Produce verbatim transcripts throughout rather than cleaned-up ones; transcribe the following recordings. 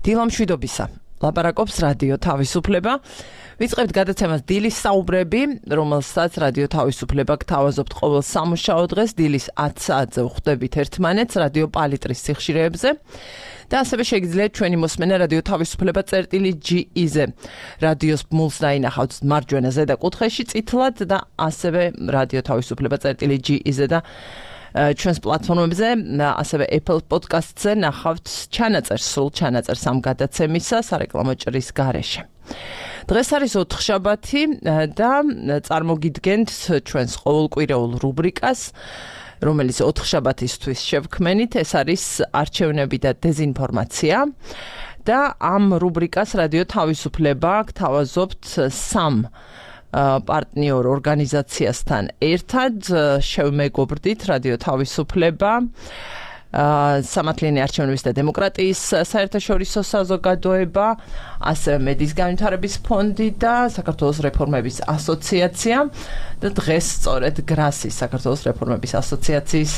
დილა მშვიდობისა. ლაპარაკობს რადიო თავისუფლება. ვიწყებთ გადაცემას დილის საუბრები, რომელსაც რადიო თავისუფლება გთავაზობთ ყოველ სამუშაო დღეს დილის ათ საათზე ვხვდებით ერთმანეთს რადიო პალიტრის სიხშირეებზე. და ასევე შეგიძლიათ ჩვენი მოსმენა რადიო თავისუფლება წერტილი ჯი ი-ზე. რადიოს ბმულს დაინახავთ მარჯვენა ზედა კუთხეში წითლად და ასევე რადიო თავისუფლება წერტილი ჯი ი-ზე და ჩვენს პლატფორმებზე, ასევე Apple Podcast-ზე ნახავთ ჩანაწერს, სრულ ჩანაწერს ამ გადაცემისა სარეკლამო ჭრის გარეშე. დღეს არის ოთხშაბათი და წარმოგიდგენთ ჩვენს ყოველკვირეულ რუბრიკას, რომელიც ოთხშაბათისთვის შევქმენით, ეს არის არჩევნები და დეზინფორმაცია. და ამ რუბრიკას რადიო თავისუფლება გთავაზობთ სამ პარტნიორ ორგანიზაციასთან ერთად. შევმეგობრდით რადიო თავისუფლება, სამართლიანი არჩევნების და დემოკრატიის საერთაშორისო საზოგადოება, ასევე მედის განვითარების ფონდი და საქართველოს რეფორმების ასოციაცია. და დღეს სწორედ გრასის საქართველოს რეფორმების ასოციაციის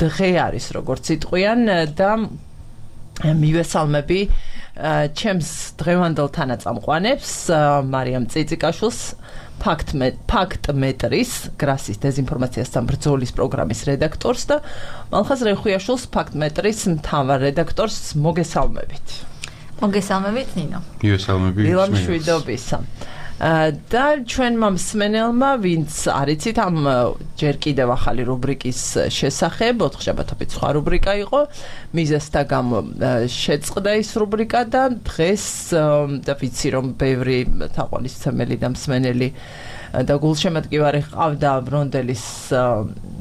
დღე არის, როგორც იტყვიან და მივესალმები ჩემს დღევანდელ თანაწამყვანებს, მარიამ წიწიკაშვილს, ფაქტმეტრის, გრასის დეზინფორმაციასთან ბრძოლის პროგრამის რედაქტორს და მალხაზ რეხუიაშვილს, ფაქტმეტრის მთავარ რედაქტორს. მოგესალმებით. მოგესალმებით, ნინო. მივესალმებით. დილა მშვიდობისა. და ჩვენმა მსმენელმა, ვინც არიცით ამ ჯერ კიდევ ახალი რუბრიკის შესახებ, ოთხშაბათობით სხვა რუბრიკა იყო, მიზეზთა გამო შეწყდა ის რუბრიკა და დღეს და ვიცი რომ ბევრი თაყვანისმცემელი და მსმენელი და გულშემატკივარი ყავდა ბრონდელის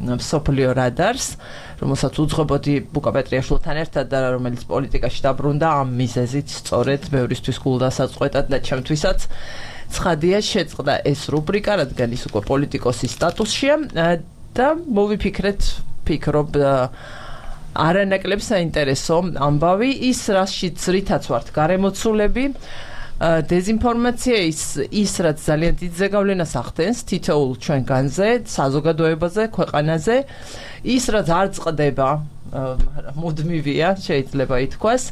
მსოფლიო რადარს, რომელსაც უძღვებოდი ბუკა პეტრიაშვილთან ერთად და რომელიც პოლიტიკაში დაბრუნდა ამ მიზეზით სწორედ ბევრისთვის გულდასაწყვეტად და ჩემთვისაც ცხადია შეწყდა ეს რუბრიკა, რადგან ის უკვე პოლიტიკოსის სტატუსშია და მოვიფიქრეთ, ფიქრობ არანაკლებ საინტერესო ამბავი, ის რაშიც რითაც ვართ გარემოცულები, დეზინფორმაცია ის, ის რაც ძალიან დიდ ზეგავლენას ახდენს თითოეულ ჩვენგანზე, საზოგადოებაზე, ქვეყანაზე, ის რაც არ წყდება, მუდმივია, შეიძლება ითქვას,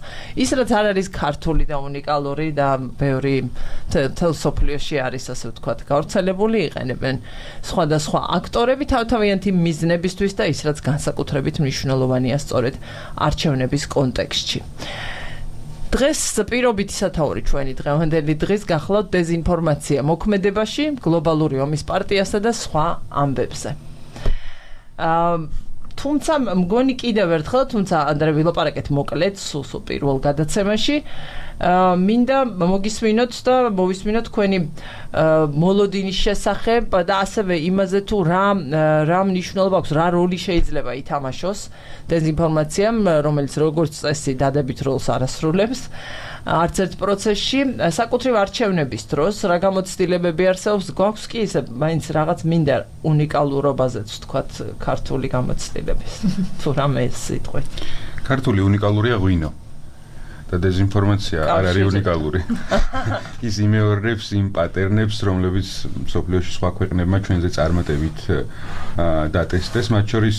ის რაც არ არის ქართული და უნიკალური და ბევრი მთელ სოფლიოში არის, ასე ვთქვათ, გავრცელებული, იყენებენ სხვადასხვა აქტორები თავთავიანთი მიზნებისთვის და ის რაც განსაკუთრებით მნიშვნელოვანია სწორედ არჩევნების კონტექსტში. დღეს პირობითი სათაური ჩვენი დღევანდელი დღის გახლავთ დეზინფორმაცია მოქმედებაში, გლობალური ომის პარტიასა და სხვა ამბებზე. თუმცა მგონი კიდევ ერთხელ, თუმცა ანდრე ვილაპარაკეთ მოკლედ სულ პირველ გადაცემაში, მინდა მოგისმინოთ და მოვისმინოთ თქვენი მოლოდინის შესახებ და ასევე იმაზე თუ რა რა მნიშვნელობა აქვს, რა როლი შეიძლება ითამაშოს დეზინფორმაციამ, რომელიც როგორც წესი დადებით როლს არასრულებს არც ერთ პროცესში, საკუთრივ არჩევნების დროს რა გამოცდილებები არსებობს, გვაქვს კი ისე მაინც რაღაც მინდა უნიკალურობაზეც ვთქვათ ქართული გამოცდილების თუ რამე სიტყვით. ქართული უნიკალურია ღვინო და დეზინფორმაცია არ არის უნიკალური. ის იმეორებს იმ პატერნებს, რომლებიც მსოფლიოში სხვა ქვეყნებმა ჩვენზე წარმატებით დატესტეს, მათ შორის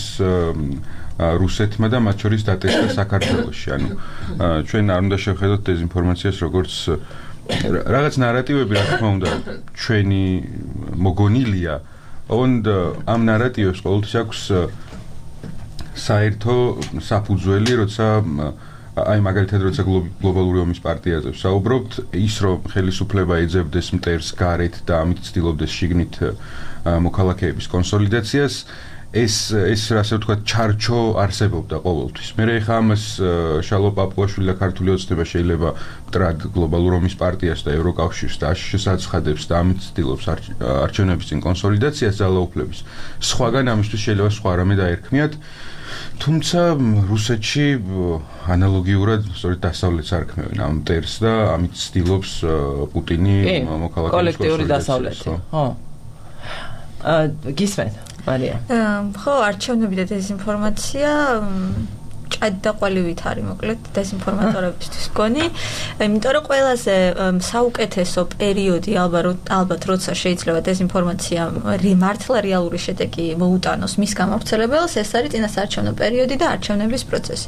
რუსეთმა და მათ შორის დატესტა საქართველოში. ანუ ჩვენ არ უნდა შევხედოთ დეზინფორმაციას როგორც რაღაც ნარატივები, რა თქმა უნდა, ჩვენი მოგონილია, ოღონდ ამ ნარატივებს ყოველთვის აქვს საერთო საფუძველი, როცა აი მაგალითად როცა გლობალური ომის პარტიაზე ვსაუბრობთ, ის რომ ხელისუფლება ეძებდეს მტერს გარეთ და ამით ცდილობდეს შიგნით მოქალაქეების კონსოლიდაციას, ეს ეს ასე ვთქვათ ჩარჩო არსებობდა ყოველთვის. მე ხა ამას შალო პაპუაშვილი და ქართული ოცნება შეიძლება მტრად გლობალურ ომის პარტიას და ევროკავშირს და შესაცხადებს და ამით ცდილობს არჩევნების წინ კონსოლიდაციას ძალაუფლების. სხვაგან ამისთვის შეიძლება სხვა რამე დაერქმიათ. თუმცა რუსეთში ანალოგიურად სწორედ დასავლეთს არქმევენ ამ მტერს და ამით ცდილობს პუტინი მოქალაქეების კოლექტიური დასავლეთი. ხო. აა გისმენთ მარია. ხო, არჩევნები და დეზინფორმაცია კადი და ყველივით არის მოკლედ დეზინფორმატორებისთვის გონი. იმიტომ რომ ყველაზე საუკეთესო პერიოდი ალბათ ალბათ როცა შეიძლება დეზინფორმაცია მართლა რეალური შედეგი მოუტანოს მის გამავრცელებელს, ეს არის წინასაარჩევნო პერიოდი და არჩევნების პროცესი.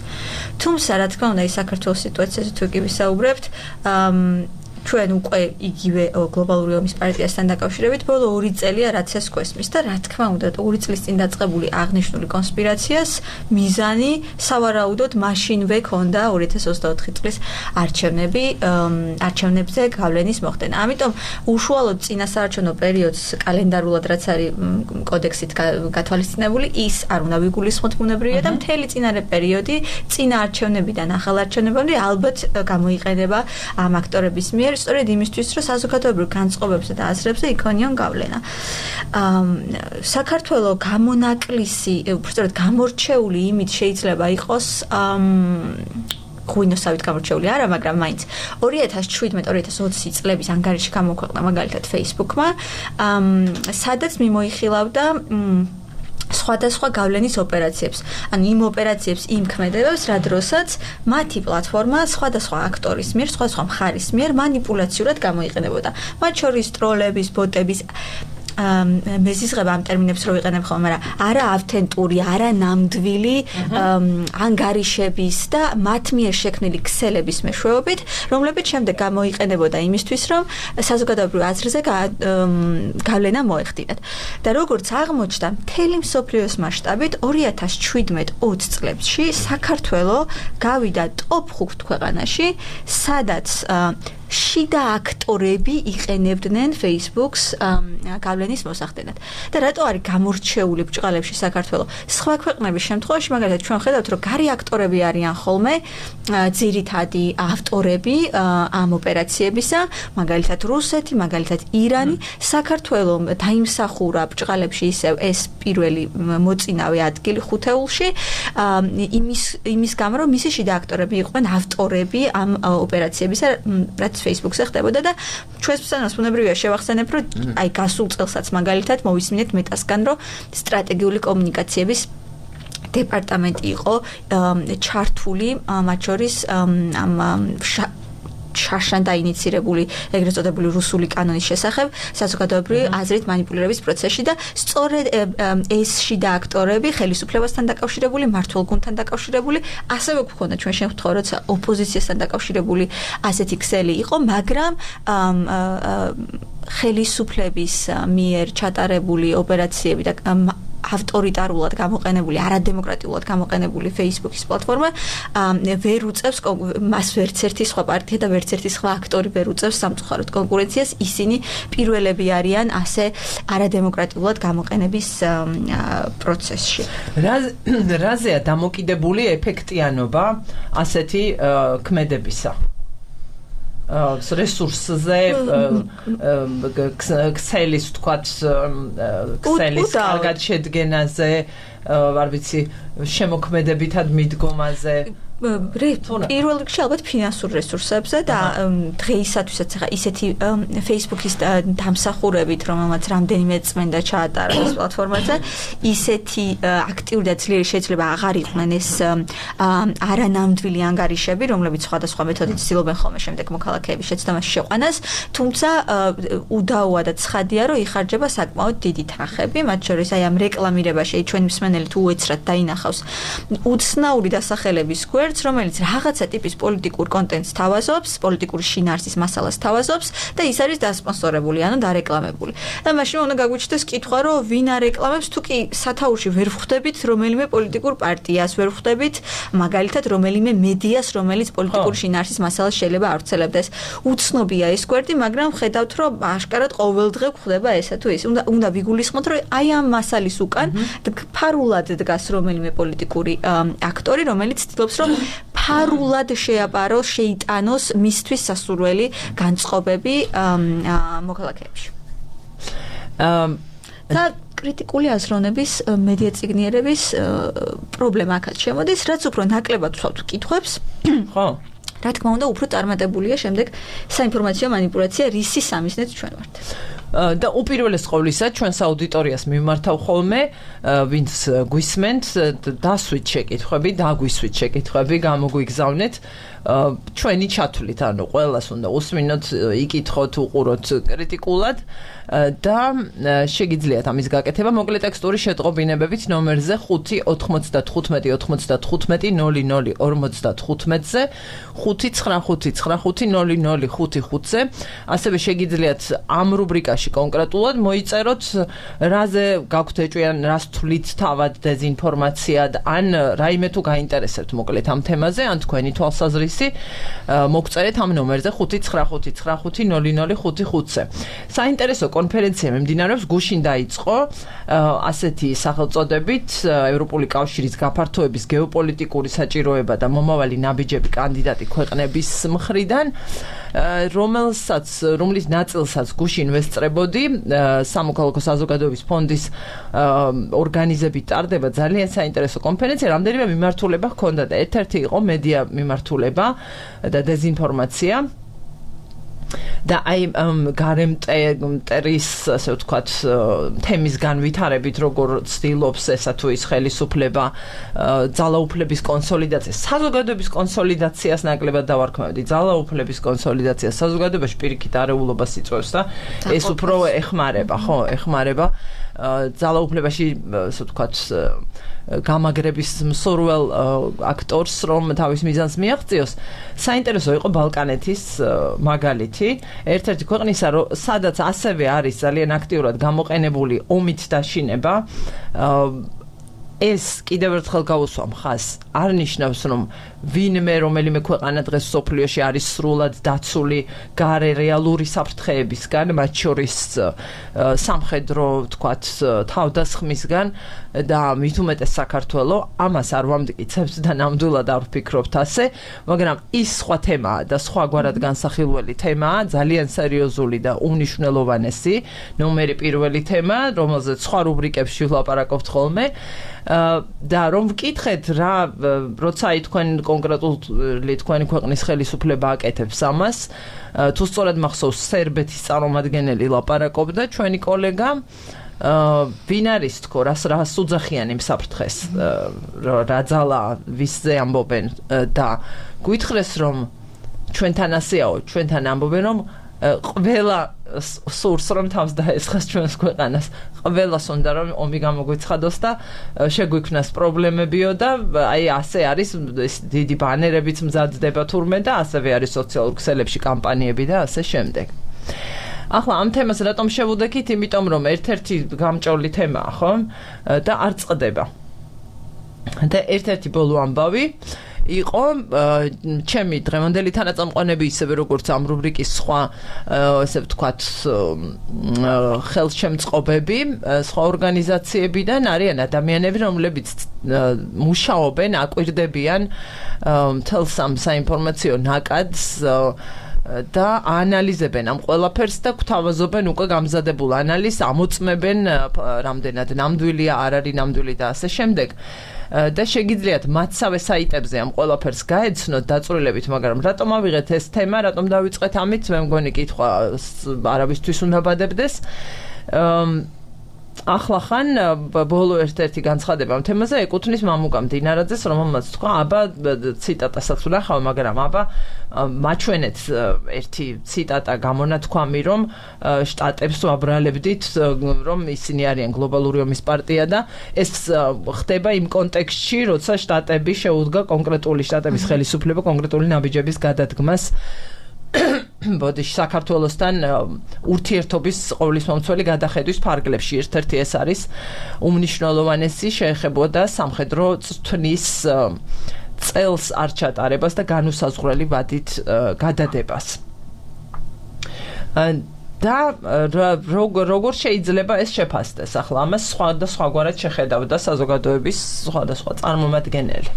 თუმცა რა თქმა უნდა, ის საქართველოს სიტუაციაზე თუ კი ვისაუბრებთ, ჩვენ უკვე იგივე გლობალური ომის პარტიასთან დაკავშირებით ბოლო ორი წელია რაც ეს გვესმის და რა თქმა უნდა ორი წლის წინ დაწყებული აღნიშნული კონსპირაციას მიზანი სავარაუდოდ მაშინვე ქონდა ორი ათას ოცდაოთხი წლის არჩევნები არჩევნებზე გავლენის მოხდენა. ამიტომ უშუალოდ წინასაარჩევნო პერიოდს კალენდარულად რაც არის კოდექსით გათვალისწინებული ის არ უნდა ვიგულისხმოთ ბუნებრივია და მთელი წინარე პერიოდი წინა არჩევნებიდან ახალ არჩევნებამდე ალბათ გამოიყენება ამ აქტორების მიერ სწორედ იმისთვის, რომ საზოგადოებრივ განწყობებსა და აზრებზე იქონიონ გავლენა. საქართველოს გამონაკლისი, უბრალოდ გამორჩეული იმით შეიძლება იყოს ღვინოსავით გამორჩეული არა, მაგრამ მაინც ორი ათას შვიდმეტ ორი ათას ოცი წლების ანგარიში გამოქვეყნა მაგალითად Facebook-მა, სადაც მიმოიხილავდა სხვადასხვა გავლენის ოპერაციებს. ანუ იმ ოპერაციებს იმ ქმედებებს, რა დროსაც მათი პლატფორმა სხვადასხვა აქტორის მიერ, სხვადასხვა მხარის მიერ მანიპულაციურად გამოიყენებოდა. მათ შორის ტროლების, ბოტების მეზიზღება ამ ტერმინებს რო ვიყენებ ხოლმე, მაგრამ არა ავთენტური, არა ნამდვილი ანგარიშების და მათ მიერ შექმნილი ქსელების მეშვეობით, რომლებიც შემდეგ გამოიყენებოდა იმისთვის, რომ საზოგადოებრივ აზრზე გავლენა მოეხდინათ. და როგორც აღმოჩნდა, მთელი მსოფლიოს მასშტაბით ორი ათას შვიდმეტ ოცი წლებში საქართველოს გავიდა ტოპ ხუთ ქვეყანაში, სადაც შიდა აქტორები იყენებდნენ Facebook-ს გავლენის მოსახდენად. და რატო არის გამორჩეული ბრჭყალებში საქართველოს? სხვა ქვეყნების შემთხვევაში, მაგალითად, ჩვენ ხედავთ, რომ გარი აქტორები არიან ხოლმე ძირითადი ავტორები ამ ოპერაციებისა, მაგალითად რუსეთი, მაგალითად ირანი, საქართველოს დაიმსახურა ბრჭყალებში ისევ ეს პირველი მოწინავე ადგილი ხუთეულში, იმის იმის გამო, რომ მისი შიდა აქტორები იყვნენ ავტორები ამ ოპერაციებისა, რაც Facebook-ზე ხდებოდა და ჩვენს ფსანას ბუნებრივია შევახსენებ, რომ აი გასულ წელსაც მაგალითად მოვისმინეთ მეტასგან, რომ სტრატეგიული კომუნიკაციების დეპარტამენტი იყო ჩართული მათ შორის ამ შარშან დაინიცირებული ეგრეთ წოდებული რუსული კანონის შესახებ საზოგადოებრივი აზრით მანიპულირების პროცესში და სწორედ ეს შიდა აქტორები ხელისუფლებასთან დაკავშირებული, მმართველ გუნდთან დაკავშირებული, ასევე გვქონდა ჩვენ შემთხვევა, როცა ოპოზიციასთან დაკავშირებული ასეთი ქსელი იყო, მაგრამ ხელისუფლების მიერ ჩატარებული ოპერაციები და ავტორიტარულად გამოყენებული, არადემოკრატიულად გამოყენებული Facebook-ის პლატფორმა ვერ უწევს მას ვერც ერთი სხვა პარტია და ვერც ერთი სხვა აქტორი ვერ უწევს სამწუხაროდ კონკურენციას, ისინი პირველები არიან ასე არადემოკრატიულად გამოყენების პროცესში. რაზეა დამოკიდებული ეფექტიანობა ასეთი ქმედებისა? რესურსზე ქსელის თქვათ ქსელის კარგად შედგენაზე, არ ვიცი, შემოქმედებითად მიდგომაზე პირველ რიგში ალბათ ფინანსურ რესურსებზე და დღეისათვისაც ახლა ისეთი Facebook-ის დამსახურებით, რომელმაც რამდენიმე წმენდა ჩაატარა ეს პლატფორმაზე, ისეთი აქტიური და ძლიერი შეიძლება აღარ იყვნენ ეს არანამდვილი ანგარიშები, რომლებიც სხვადასხვა მეთოდით ცდილობენ ხოლმე შემდეგ მოქალაქეების შეცდომაში შეყვანას, თუმცა უდაოა და ცხადია, რომ იხარჯება საკმაოდ დიდი თანხები, მათ შორის აი ამ რეკლამირებაში ჩვენი მსმენელი თუ უეცრად დაინახავს უცნაური დასახელების გვერდს, რომელიც რაღაცა ტიპის პოლიტიკურ კონტენტს თავაზობს, პოლიტიკური შინაარსის მასალას თავაზობს და ის არის დასპონსორებული, ანუ დარეკლამებული. და მაშინ უნდა გაგვიჩნდეს კითხვა, რომ ვინ არეკლამებს, თუ კი სათაურში ვერ ვხვდებით რომელიმე პოლიტიკურ პარტიას, ვერ ვხვდებით მაგალითად რომელიმე მედიას, რომელიც პოლიტიკური შინაარსის მასალას შეიძლება ავრცელებდეს. უცნობია ეს გვერდი, მაგრამ ხედავთ, რომ აშკარად ყოველ დღე გვხვდება ესა თუ ის. უნდა უნდა ვიგულისხმოთ, რომ აი ამ მასალის უკან ფარულად დგას რომელიმე პოლიტიკური აქტორი, რომელიც ცდილობს, რომ ფარულად შეაპაროს, შეიტანოს მისთვის სასურველი განწყობები მოქალაქეებში. და კრიტიკული აზროვნების მედია წიგნიერების პრობლემა აქაც შემოდის, რაც უფრო ნაკლებად ვსვავთ კითხვებს. ხო. რა თქმა უნდა, უფრო წარმატებულია შემდეგ საინფორმაციო მანიპულაცია, რისი სამიზნედ ჩვენ ვართ. და უპირველეს ყოვლისა ჩვენს აუდიტორიას მიმართავ ხოლმე ვინც გვისმენთ დასვით შეკითხვები, დაგვისვით შეკითხვები, გამოგვიგზავნეთ ჩვენი ჩათვლით, ანუ ყველას უნდა უსმინოთ, იკითხოთ, უყუროთ კრიტიკულად და შეგიძლიათ ამის გაკეთება მოკლე ტექსტური შეტყობინებებით ნომერზე ხუთი ოთხმოცდათხუთმეტი ოცდათხუთმეტი ნული ნული ორმოცდათხუთმეტზე ხუთი ცხრა ხუთი ცხრა ხუთი ნული ნული ხუთი ხუთზე ასევე შეგიძლიათ ამ რუბრიკაში კონკრეტულად მოიწეროთ რაზე გაქვთ ეჭვიან, რას თვლით თავად დეზინფორმაციად ან რაიმე თუ გაინტერესებთ მოკლედ ამ თემაზე ან თქვენი თვალსაზრისი მოგწერეთ ამ ნომერზე ხუთი ცხრა ხუთი ცხრა ხუთი ნული ნული ხუთი ხუთზე. საინტერესო კონფერენცია მიმდინარეობს გუშინ დაიწყო ასეთი სახელწოდებით ევროპული კავშირის გაფართოების გეოპოლიტიკური საჭიროება და მომავალი ნაბიჯები კანდიდატი ქვეყნების მხრიდან რომელსაც რომლის ნაწილსაც გუშინ ვესწრებოდი სამოქალაქო საზოგადოების ფონდის ორგანიზებით ტარდება ძალიან საინტერესო კონფერენცია, რამდენიმე მიმართულება ჰქონდა და ერთ-ერთი იყო მედია მიმართულება და დეზინფორმაცია და აი გარემტერის ასე ვთქვათ თემის განვითარებით როგორ ცდილობს ესა თუ ის ხელისუფლება ძალაუფლების კონსოლიდაციას, საზოგადოების კონსოლიდაციას ნაკლებად დავარქმევდი. ძალაუფლების კონსოლიდაციას საზოგადოებაში პირიქით არეულობას იწვევს და ეს უფრო ეხმარება, ხო, ეხმარება ძალაუფლებაში ასე ვთქვათ გამაგრების მსურველ აქტორს რომ თავის მიზანს მიაღწიოს. საინტერესო იყო ბალკანეთის მაგალითი, ერთ-ერთი ქვეყნისა, სადაც ასევე არის ძალიან აქტიურად გამოყენებული ომით დაშინება. ეს კიდევ ერთხელ გავუსვა მხას არ ნიშნავს რომ ვინმე რომელიმე ქვეყანა დღეს სოფლიოში არის სრულად დაცული გარე რეალური საფრთხეებისგან, მათ შორის სამხედრო ვთქვათ თავდასხმისგან და მით უმეტეს საქართველო ამას არ ვამტკიცებთ და ნამდვილად არ ვფიქრობთ ასე, მაგრამ ის სხვა თემაა და სხვაგვარად განსახილველი თემაა, ძალიან სერიოზული და უმნიშვნელოვანესი, ნომერი პირველი თემა, რომელზეც სხვა რუბრიკებში ვლაპარაკობთ ხოლმე. და რომ ვკითხეთ რა როცა თქვენ კონკრეტული თქვენი ქვეყნის ხელისუფლება აკეთებს ამას, თუ სწორად მახსოვს სერბეთის წარმომადგენელი ლაპარაკობდა ჩვენი კოლეგა ვინ არის თქო რას რას უძახიან იმ საფრთხეს რა ძალა ვისზე ამბობენ და გვითხრეს რომ ჩვენთან ასეაო, ჩვენთან ამბობენ რომ ყველა სურს რომ თავს დაესხას ჩვენს ქვეყანას, ყველას უნდა რომ ომი გამოგვიცხადოს და შეგვიქმნას პრობლემებიო და აი ასე არის დიდი ბანერებიც მზადდება თურმე და ასევე არის სოციალურ ქსელებში კამპანიები და ასე შემდეგ. ახლა ამ თემას რატომ შევუდექით? იმიტომ რომ ერთ-ერთი გამჭოლი თემაა, ხო? და არ წყდება. და ერთ-ერთი ბოლო ამბავი იყო ჩემი დღევანდელი თანაწამყვანები ისევე როგორც ამ რუბრიკის სხვა ასე ვთქვათ ხელშემწყობები სხვა ორგანიზაციებიდან არიან ადამიანები რომლებიც მუშაობენ, აკვირდებიან მთელს ამ საინფორმაციო ნაკადს და ანალიზებენ ამ ყველაფერს და გვთავაზობენ უკვე გამზადებულ ანალიზს, ამოწმებენ რამდენად ნამდვილია, არ არის ნამდვილი და ასე შემდეგ. და შეგიძლიათ მათსავე საიტებზე ამ ყველაფერს გაეცნოთ დაწვრილებით, მაგრამ რატომ ავიღეთ ეს თემა, რატომ დავიწყეთ ამით, მე მგონი კითხვა არავისთვის უნდა ბადებდეს. ახლა ხან ბოლო ერთ-ერთი განცხადება ამ თემაზე ეკუთვნის მამუკა მდინარაძეს, რომელმაც თქვა, აბა ციტატასაც ვნახავ, მაგრამ აბა მაჩვენეთ ერთი ციტატა გამონათქვამი, რომ შტატებს ვაბრალებდით, რომ ისინი არიან გლობალური ომის პარტია და ეს ხდება იმ კონტექსტში, როცა შტატები შეუდგა კონკრეტული შტატების ხელისუფლება კონკრეტული ნაბიჯების გადადგმას ბოდიში საქართველოსთან ურთიერთობის ყოვლისმომცველი გადახედვის ფარგლებში. ერთ-ერთი ეს არის უმნიშვნელოვანესი, შეეხებოდა სამხედრო წვნის წელს არ ჩატარებას და განუსაზღვრელი ვადით გადადებას. და როგორ შეიძლება ეს შეფასდეს? ახლა ამას სხვა და სხვაგვარად შეხედავდა საზოგადოების სხვადასხვა წარმომადგენელი.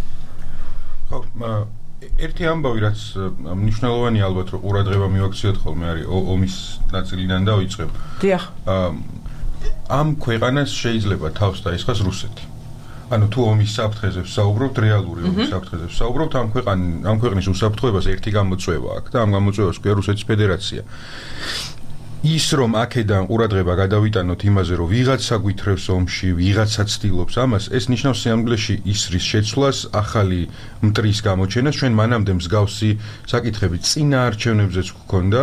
ხო, ერთი ამბავი რაც მნიშვნელოვანი ალბათ რომ ყურადღება მივაქციოთ ხოლმე არის ომის ნაწილიდან დავიწყებ. დიახ. ამ ქვეყანას შეიძლება თავს დაესხას რუსეთი. ანუ თუ ომის საფრთხეზე ვსაუბრობთ, რეალური ომის საფრთხეზე ვსაუბრობთ, ამ ქვეყან ამ ქვეყნის უსაფრთხოებას ერთი გამოწვევა აქვს და ამ გამოწვევას ქვია რუსეთის ფედერაცია. ის რომ აქედან ყურადღება გადავიტანოთ იმაზე, რომ ვიღაცა გვითრევს ომში, ვიღაცა ცდილობს ამას, ეს ნიშნავს სიამგლეში ისრის შეცვლას, ახალი მტრის გამოჩენას. ჩვენ მანამდე მსგავსი საკითხები წინა არჩევნებზეც გვქონდა.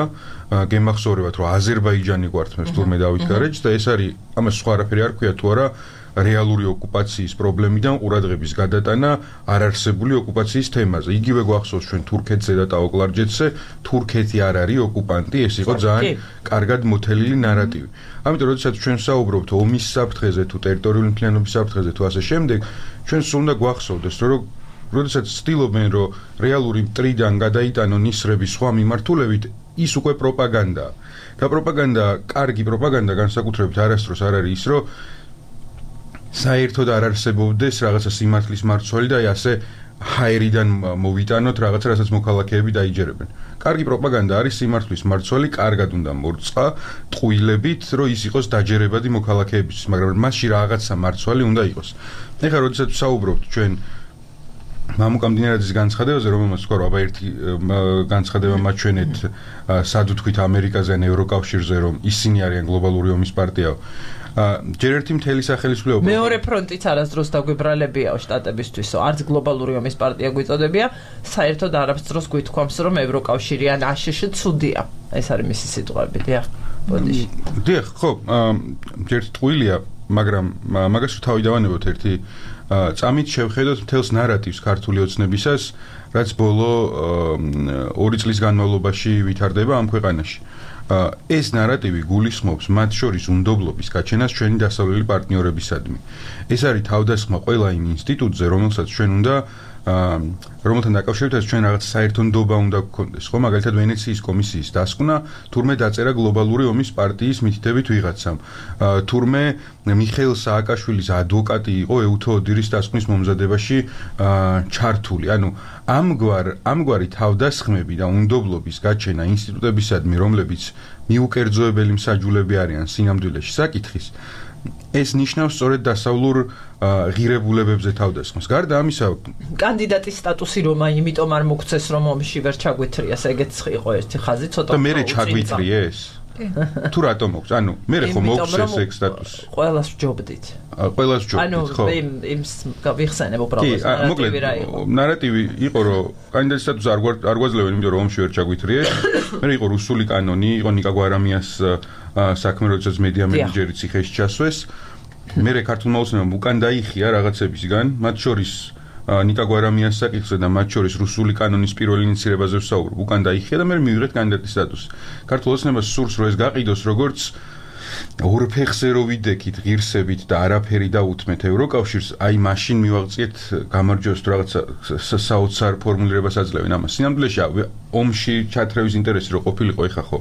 გემახსოვრებათ, რომ აზერბაიჯანი გვართმევს თურმე დავით გარეჯს და ეს არის ამას სხვა არაფერი არ ქვია თუ არა რეალური ოკუპაციის პრობლემიდან ყურადღების გადატანა არარსებული ოკუპაციის თემაზე. იგივე გვახსოვს ჩვენ თურქეთზე და ტაოკლარჯეთზე, თურქეთი არ არის ოკუპანტი, ეს იყო ძალიან კარგად მოთელილი ნარატივი. ამიტომ როდესაც ჩვენ საუბრობთ ომის საფრთხეზე თუ ტერიტორიული მთლიანობის საფრთხეზე თუ ასე შემდეგ, ჩვენ სულ უნდა გვახსოვდეს, რომ როდესაც ცდილობენ, რომ რეალური მტრიდან გადაიტანონ ისრები სხვა მიმართულებით, ის უკვე პროპაგანდაა. და პროპაგანდა, კარგი პროპაგანდა განსაკუთრებით არასდროს არ არის ის, რომ საერთოდ არ არსებობდეს რაღაცა სიმართლის მარცვალი და ასე ჰაერიდან მოვიტანოთ რაღაცა, რასაც მოქალაქეები დაიჯერებენ. კარგი პროპაგანდა არის სიმართლის მარცვალი, კარგად უნდა მორწყა ტყუილებით, რომ ის იყოს დაჯერებადი მოქალაქეებისთვის, მაგრამ მასში რაღაცა მარცვალი უნდა იყოს. ეხლა როდესაც ვსაუბრობთ ჩვენ მამუკამდინარაძის განცხადებაზე, რომელმაც თქვა, რომ აბა ერთი განცხადება მაჩვენეთ სად ვთქვით ამერიკაზე ან ევროკავშირზე, რომ ისინი არიან გლობალური ომის პარტია. ჯერ ერთი მთელი სახელისმწიფო მეორე ფრონტიც არასდროს დაგვიბრალებიაო შტატებისთვის, არც გლობალური ომის პარტია გვიწოდებია, საერთოდ არასდროს გვითქვამს, რომ ევროკავშირი ან აშშ ცუდია. ეს არის მისი სიტყვები, დიახ. ბოდიში. დიახ, ხო, ჯერ ტყუილია, მაგრამ მაგას თავი დავანებოთ ერთი წამით შევხედოთ მთელს ნარატივს ქართული ოცნებისას, რაც ბოლო ორი წლის განმავლობაში ვითარდება ამ ქვეყანაში. ეს ნარატივი გულისხმობს მათ შორის უნდობლობის გაჩენას ჩვენი დასავლელი პარტნიორებისადმი. ეს არის თავდასხმა ყველა იმ ინსტიტუტზე, რომელსაც ჩვენ უნდა რომელთან დაკავშირებითაც ჩვენ რაღაც საერთო ნდობა უნდა გქონდეს. ხო, მაგალითად ვენეციის კომისიის დასკვნა, თურმე დაწერა გლობალური ომის პარტიის მითითებით ვიღაცამ. თურმე მიხეილ სააკაშვილის ადვოკატი იყო ეუთო ოდირის დასკვნის მომზადებაში ჩართული. ანუ ამგვარ ამგვარი თავდასხმები და უნდობლობის გაჩენა ინსტიტუტებისადმი, რომლებიც მიუკერძოებელი მსაჯულები არიან სინამდვილეში საკითხის, ეს ნიშნავს სწორედ დასავლურ ღირებულებებზე თავდასხმას. გარდა ამისა, კანდიდატის სტატუსი რომა, იმიტომ არ მოგცეს, რომ ომში ვერ ჩაგვეთრიას, ეგეც იყო ერთი ხაზი, ცოტა და მე ჩაგვეთრიეს? თუ რატომ მოგვც? ანუ მე ხო მოგცეს ეგ სტატუსი. ყველას ვჯობდით. ყველას ვჯობდით, ხო? ანუ იმ იმ ვიხსენებ უბრალოდ ნარატივი რა იყო. ნარატივი იყო, რომ კანდიდატის სტატუსი არ არ გვაძლევენ, იმიტომ რომ ომში ვერ ჩაგვეთრიეს. მე იყო რუსული კანონი, იყო ნიკა გვარამიას საქმე, როდესაც მედია მენეჯერი ციხეში ჩასვეს. მე ქართულმა ოცნებამ უკან დაიხია რაღაცებისგან, მათ შორის ნიკა გვარამიას საკითხზე და მათ შორის რუსული კანონის პირველ ინიცირებაზე ვსაუბრობ. უკან დაიხია და მე მივიღეთ კანდიდატის სტატუსი. ქართულ ოცნებას სურს, რომ ეს გაყიდოს როგორც ორფეხზე რო ვიდექით ღირსებით და არაფერი დაუთმეთ ევროკავშირს, აი მაშინ მივაღწიეთ გამარჯვებას თუ რაღაცა საოცარ ფორმულირებას აძლევენ ამას. სინამდვილეში ომში ჩათრევის ინტერესი რო ყოფილიყო, ეხა ხო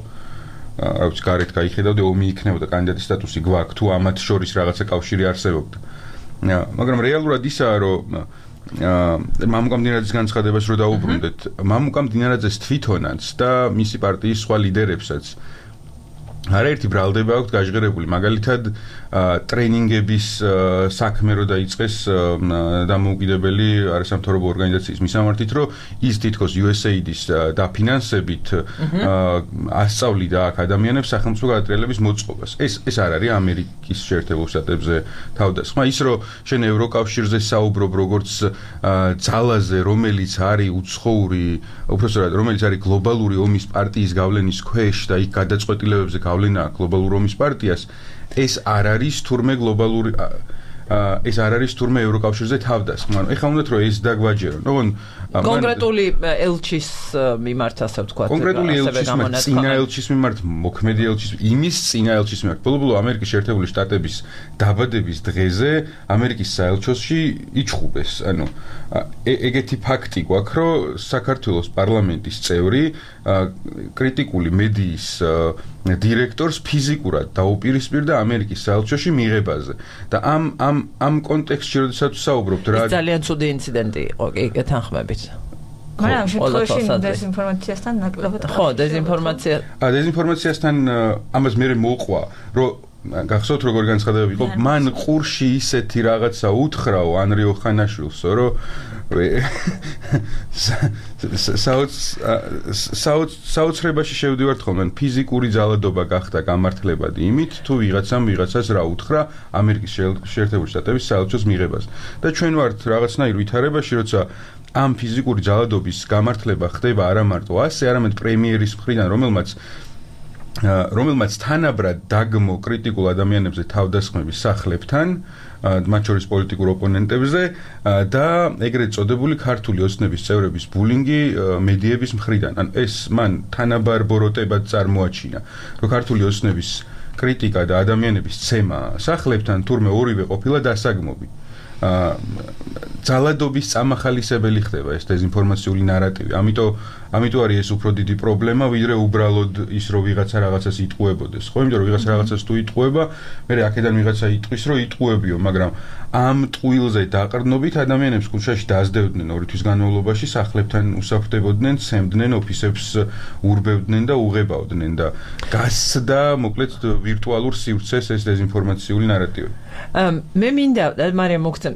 რა ვიცი, გარეთ გაიხედავდე, ომი იქნებოდა, კანდიდატის სტატუსი გვაქვს, თუ ამათ შორის რაღაცა კავშირი არსებობდა. მაგრამ რეალურად ისაა, რომ მამუკამდინარაძის განცხადებას რო დაუბრუნდეთ, მამუკამდინარაძეს თვითონაც და მისი პარტიის სხვა ლიდერებსაც არაერთი ბრალდება აქვთ გაჟღერებული, მაგალითად ტრენინგების საქმე რო დაიწყეს დამოუკიდებელი არასამთავრობო ორგანიზაციის მისამართით, რომ ის თითქოს იუ ეს ეი დის დაფინანსებით ასწავლიდა აქ ადამიანებს სახელმწიფო გადატრიალების მოწყობას. ეს ეს არ არის ამერიკის შეერთებულ შტატებზე თავდასხმა. ის რომ შენ ევროკავშირზე საუბრობ როგორც ძალაზე, რომელიც არის უცხოური, უბრალოდ რომელიც არის გლობალური ომის პარტიის გავლენის ქვეშ და იქ გადაწყვეტილებებზე გავლენა გლობალურ ომის პარტიას, ეს არ არის თურმე გლობალური ეს არ არის თურმე ევროკავშირზე თავდასხმა. ეხლა უნდათ რომ ეს დაგვაჯერონ. ოღონ კონკრეტული ელჩის მიმართ ასე ვთქვათ, კონკრეტული ელჩის მიმართ, წინა ელჩის მიმართ, მოქმედი elchis, იმის წინა elchis მიმართ. ბოლო-ბოლო ამერიკის შეერთებული შტატების დაბადების დღეზე ამერიკის საელჩოში იჩხუბეს. ანუ ეგეთი ფაქტი გვაქვს, რომ საქართველოს პარლამენტის წევრი კრიტიკული მედიის დირექტორს ფიზიკურად დაუპირისპირდა ამერიკის საელჩოში მიღებაზე. და ამ ამ ამ კონტექსტში როდესაც ვსაუბრობთ რა ძალიან ცუდი ინციდენტი იყო, კი, გეთანხმებით. მაგრამ შემთხვევაში დეზინფორმაციასთან ნაკლებად ხო, დეზინფორმაცია. ა დეზინფორმაციასთან ამას მე მოყვა, რომ გახსოვთ როგორ განცხადებები იყო მან ყურში ისეთი რაღაცა უთხრაო ანრიო ხანაშვილსო რომ საოცრებაში შევდივართ ხოლმე ფიზიკური ძალადობა გახდა გამართლებადი იმით თუ ვიღაცამ ვიღაცას რა უთხრა ამერიკის შეერთებული შტატების საელჩოს მიღებას და ჩვენ ვართ რაღაცნაირ ვითარებაში როცა ამ ფიზიკური ძალადობის გამართლება ხდება არა მარტო ასე არამედ პრემიერის მხრიდან რომელმაც რომელმაც თანაბრად დაგმო კრიტიკულ ადამიანებზე თავდასხმების სახლებთან მათ შორის პოლიტიკურ ოპონენტებზე და ეგრეთ წოდებული ქართული ოცნების წევრების ბულინგი მედიების მხრიდან. ან ეს მან თანაბარ ბოროტებად წარმოაჩინა, რომ ქართული ოცნების კრიტიკა და ადამიანების ცემა სახლებთან თურმე ორივე ყოფილა დასაგმობი. ძალადობის წამახალისებელი ხდება ეს დეზინფორმაციული ნარატივი. ამიტომ ამიტომ არის ეს უფრო დიდი პრობლემა, ვიდრე უბრალოდ ის რომ ვიღაცა რაღაცას იტყუებოდეს. ხო, იმიტომ რომ ვიღაცა რაღაცას თუ იტყუება, მე აქედან ვიღაცა იტყვის, რომ იტყუებიო, მაგრამ ამ ტყუილზე დაყრდნობით ადამიანებს ქუჩაში დაასდევდნენ ორი თვის განმავლობაში, სახლებთან უსაფრდებოდნენ, ცემდნენ, ოფისებს ურბევდნენ და უღებავდნენ და გასდა, მოკლედ ვირტუალურ სივრცეს ეს დეზინფორმაციული ნარატივი. მე მინდა მარიამ მოგცემ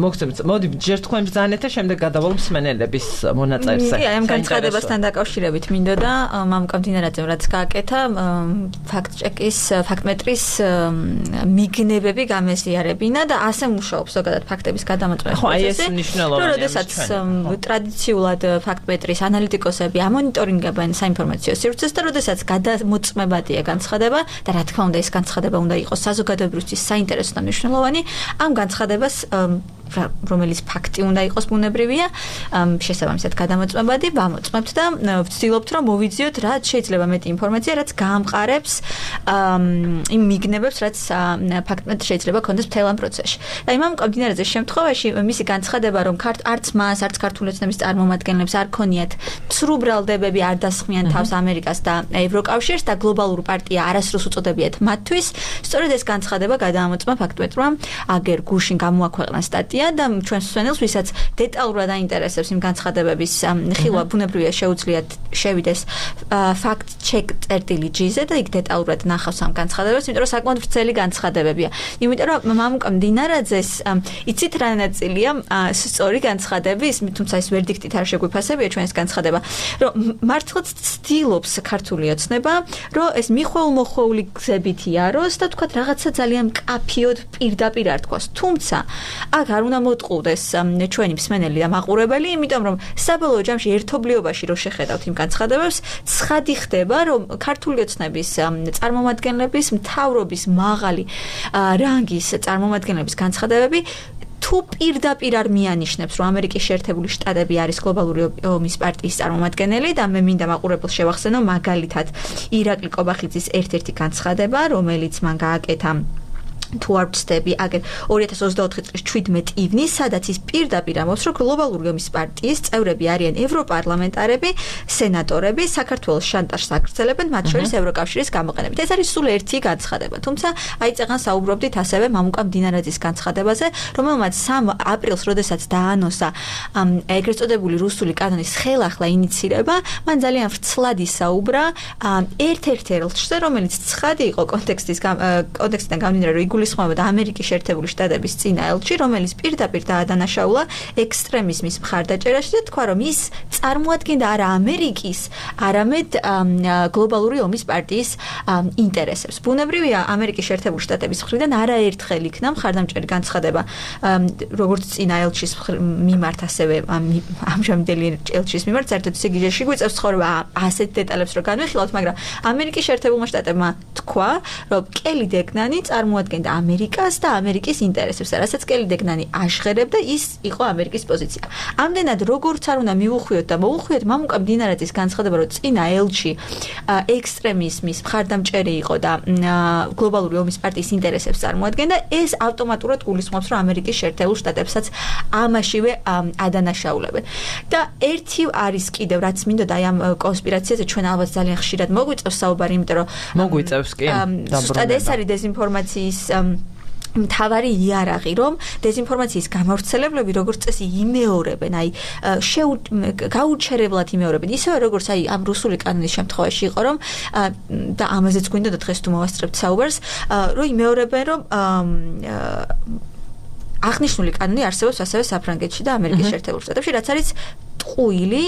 მოგცემ მოდი ჯერ თქვენ ბრძანეთ და შემდეგ გადავალ მსმენელების მონაწერზე. კი, ამ განცხადებასთან დაკავშირებით მინდოდა და მამუკა მდინარაძემ რაც გააკეთა ფაქტ-ჩეკის ფაქტმეტრის მიგნებები გამეზიარებინა და ასე მუშაობს ზოგადად ფაქტების გადამოწმების ხო, აი ეს მნიშვნელოვანია. როდესაც ტრადიციულად ფაქტმეტრის ანალიტიკოსები ამონიტორინგებენ საინფორმაციო სივრცეს და როდესაც გადამოწმებადია განცხადება და რა თქმა უნდა ეს განცხადება უნდა იყოს საზოგადოებისთვის საინტერესო და მნიშვნელოვანი, ამ განცხადებას რომელიც ფაქტი უნდა იყოს ბუნებრივია, შესაბამისად გადამოწმებადი ვამოწმებთ და ვცდილობთ რომ მოვიძიოთ რაც შეიძლება მეტი ინფორმაცია, რაც გაამყარებს იმ მიგნებებს, რაც ფაქტმეტრი შეიძლება ქონდეს მთელ ამ პროცესში. და იმ მამუკამდინარაძეს შემთხვევაში მისი განცხადება რომ არც მას, არც ქართული ოცნების წარმომადგენლებს არ ქონიათ ცრუ ბრალდებები, არ დასხმიან თავს ამერიკას და ევროკავშირს და გლობალურ პარტია არასდროს უწოდებიათ მათთვის, სწორედ ეს განცხადება გადაამოწმა ფაქტმეტრმა აგერ გუშინ გამოაქვეყნა სტატია და ჩვენს მსმენელს, ვისაც დეტალურად აინტერესებს იმ განცხადებების ხილვა, ბუნებრივია შეუძლიათ შევიდეს fact-check წერტილი ჯი-ზე და იქ დეტალურად ნახავს ამ განცხადებებს, იმიტომ რომ საკმაოდ ვრცელი განცხადებებია. იმიტომ რომ მამუკა მდინარაძეს იცით რა ნაწილია სწორი განცხადების, თუმცა ეს ვერდიქტით არ შეგვიფასებია ჩვენს განცხადება, რომ მართლაც ცდილობს ქართული ოცნება, რომ ეს მიხვეულ-მოხვეული გზებით იაროს და თქვათ რაღაცა ძალიან მკაფიოდ პირდაპირ არ თქვას. თუმცა აქ არ უნდა მოტყუდეს ჩვენი მსმენელი და მაყურებელი, იმიტომ რომ საბოლოო ჯამში ერთობლიობაში რო შეხედავთ იმ განცხადებებს, ცხადი ხდება, რომ ქართული ოცნების წარმომადგენლების მთავრობის მაღალი რანგის წარმომადგენლების განცხადებები თუ პირდაპირ არ მიანიშნებს, რომ ამერიკის შეერთებული შტატები არის გლობალური ომის პარტიის წარმომადგენელი და მე მინდა მაყურებელს შევახსენო მაგალითად ირაკლი კობახიძის ერთ-ერთი განცხადება, რომელიც მან გააკეთა თუ არ ვცდები, აგერ ორი ათას ოცდაოთხი წლის ჩვიდმეტი ივნის, სადაც ის პირდაპირ ამბობს, რომ გლობალური ომის პარტიის წევრები არიან ევროპარლამენტარები, სენატორები, საქართველოს შანტაჟს აგრძელებენ, მათ შორის ევროკავშირის გამოყენებით. ეს არის სულ ერთი განცხადება. თუმცა აი წეგან საუბრობდით ასევე მამუკა მდინარაძის განცხადებაზე, რომელმაც სამ აპრილს, როდესაც დაანონსა ეგრეთ წოდებული რუსული კანონის ხელახლა ინიცირება, მან ძალიან ვრცლად ისაუბრა ერთ-ერთ ელჩზე, რომელიც ცხადი იყო კონტექსტის კონტექსტიდან გამომდინარე, რომ გულისხმობდა ამერიკის შეერთებული შტატების წინა ელჩი, რომელიც პირდაპირ დაადანაშაულა ექსტრემიზმის მხარდაჭერაში და თქვა, რომ ის წარმოადგენდა არა ამერიკის, არამედ გლობალური ომის პარტიის ინტერესებს. ბუნებრივია, ამერიკის შეერთებული შტატების მხრიდან არაერთხელ იქნა მხარდამჭერი განცხადება, როგორც წინა ელჩის მიმართ, ასევე ამჟამინდელი ელჩის მიმართ, საერთოდ ისე გიჟეში გვიწევს ცხოვრება ასეთ დეტალებს რო განვიხილავთ, მაგრამ ამერიკის შეერთებულმა შტატებმა თქვა, რომ კელი დეგნანი წარმოადგენდა ამერიკას და ამერიკის ინტერესებს, რასაც კელი დეგნანი აშღერებდა, ის იყო ამერიკის პოზიცია. ამდენად როგორც არ უნდა მივუხვიოთ და მოუხვიოთ მამუკა მდინარაძის განცხადება, რომ წინა ელჩი ექსტრემიზმის მხარდამჭერი იყო და გლობალური ომის პარტიის ინტერესებს წარმოადგენდა, ეს ავტომატურად გულისხმობს, რომ ამერიკის შეერთებულ შტატებსაც ამაშივე ადანაშაულებენ. და ერთი არის კიდევ, რაც მინდოდა აი ამ კონსპირაციაზე ჩვენ ალბათ ძალიან ხშირად მოგვიწევს საუბარი, იმიტომ რომ მოგვიწევს კი, ზუსტად ეს არის დეზინფორმაციის მთავარი იარაღი, რომ დეზინფორმაციის გამავრცელებლები როგორც წესი იმეორებენ, აი გაუჩერებლად იმეორებენ, ისევე როგორც აი ამ რუსული კანონის შემთხვევაში იყო, რომ და ამაზეც გვინდოდა დღეს თუ მოვასწრებთ საუბარს, რომ იმეორებენ, რომ აღნიშნული კანონი არსებობს ასევე საფრანგეთში და ამერიკის შეერთებულ შტატებში, რაც არის ტყუილი,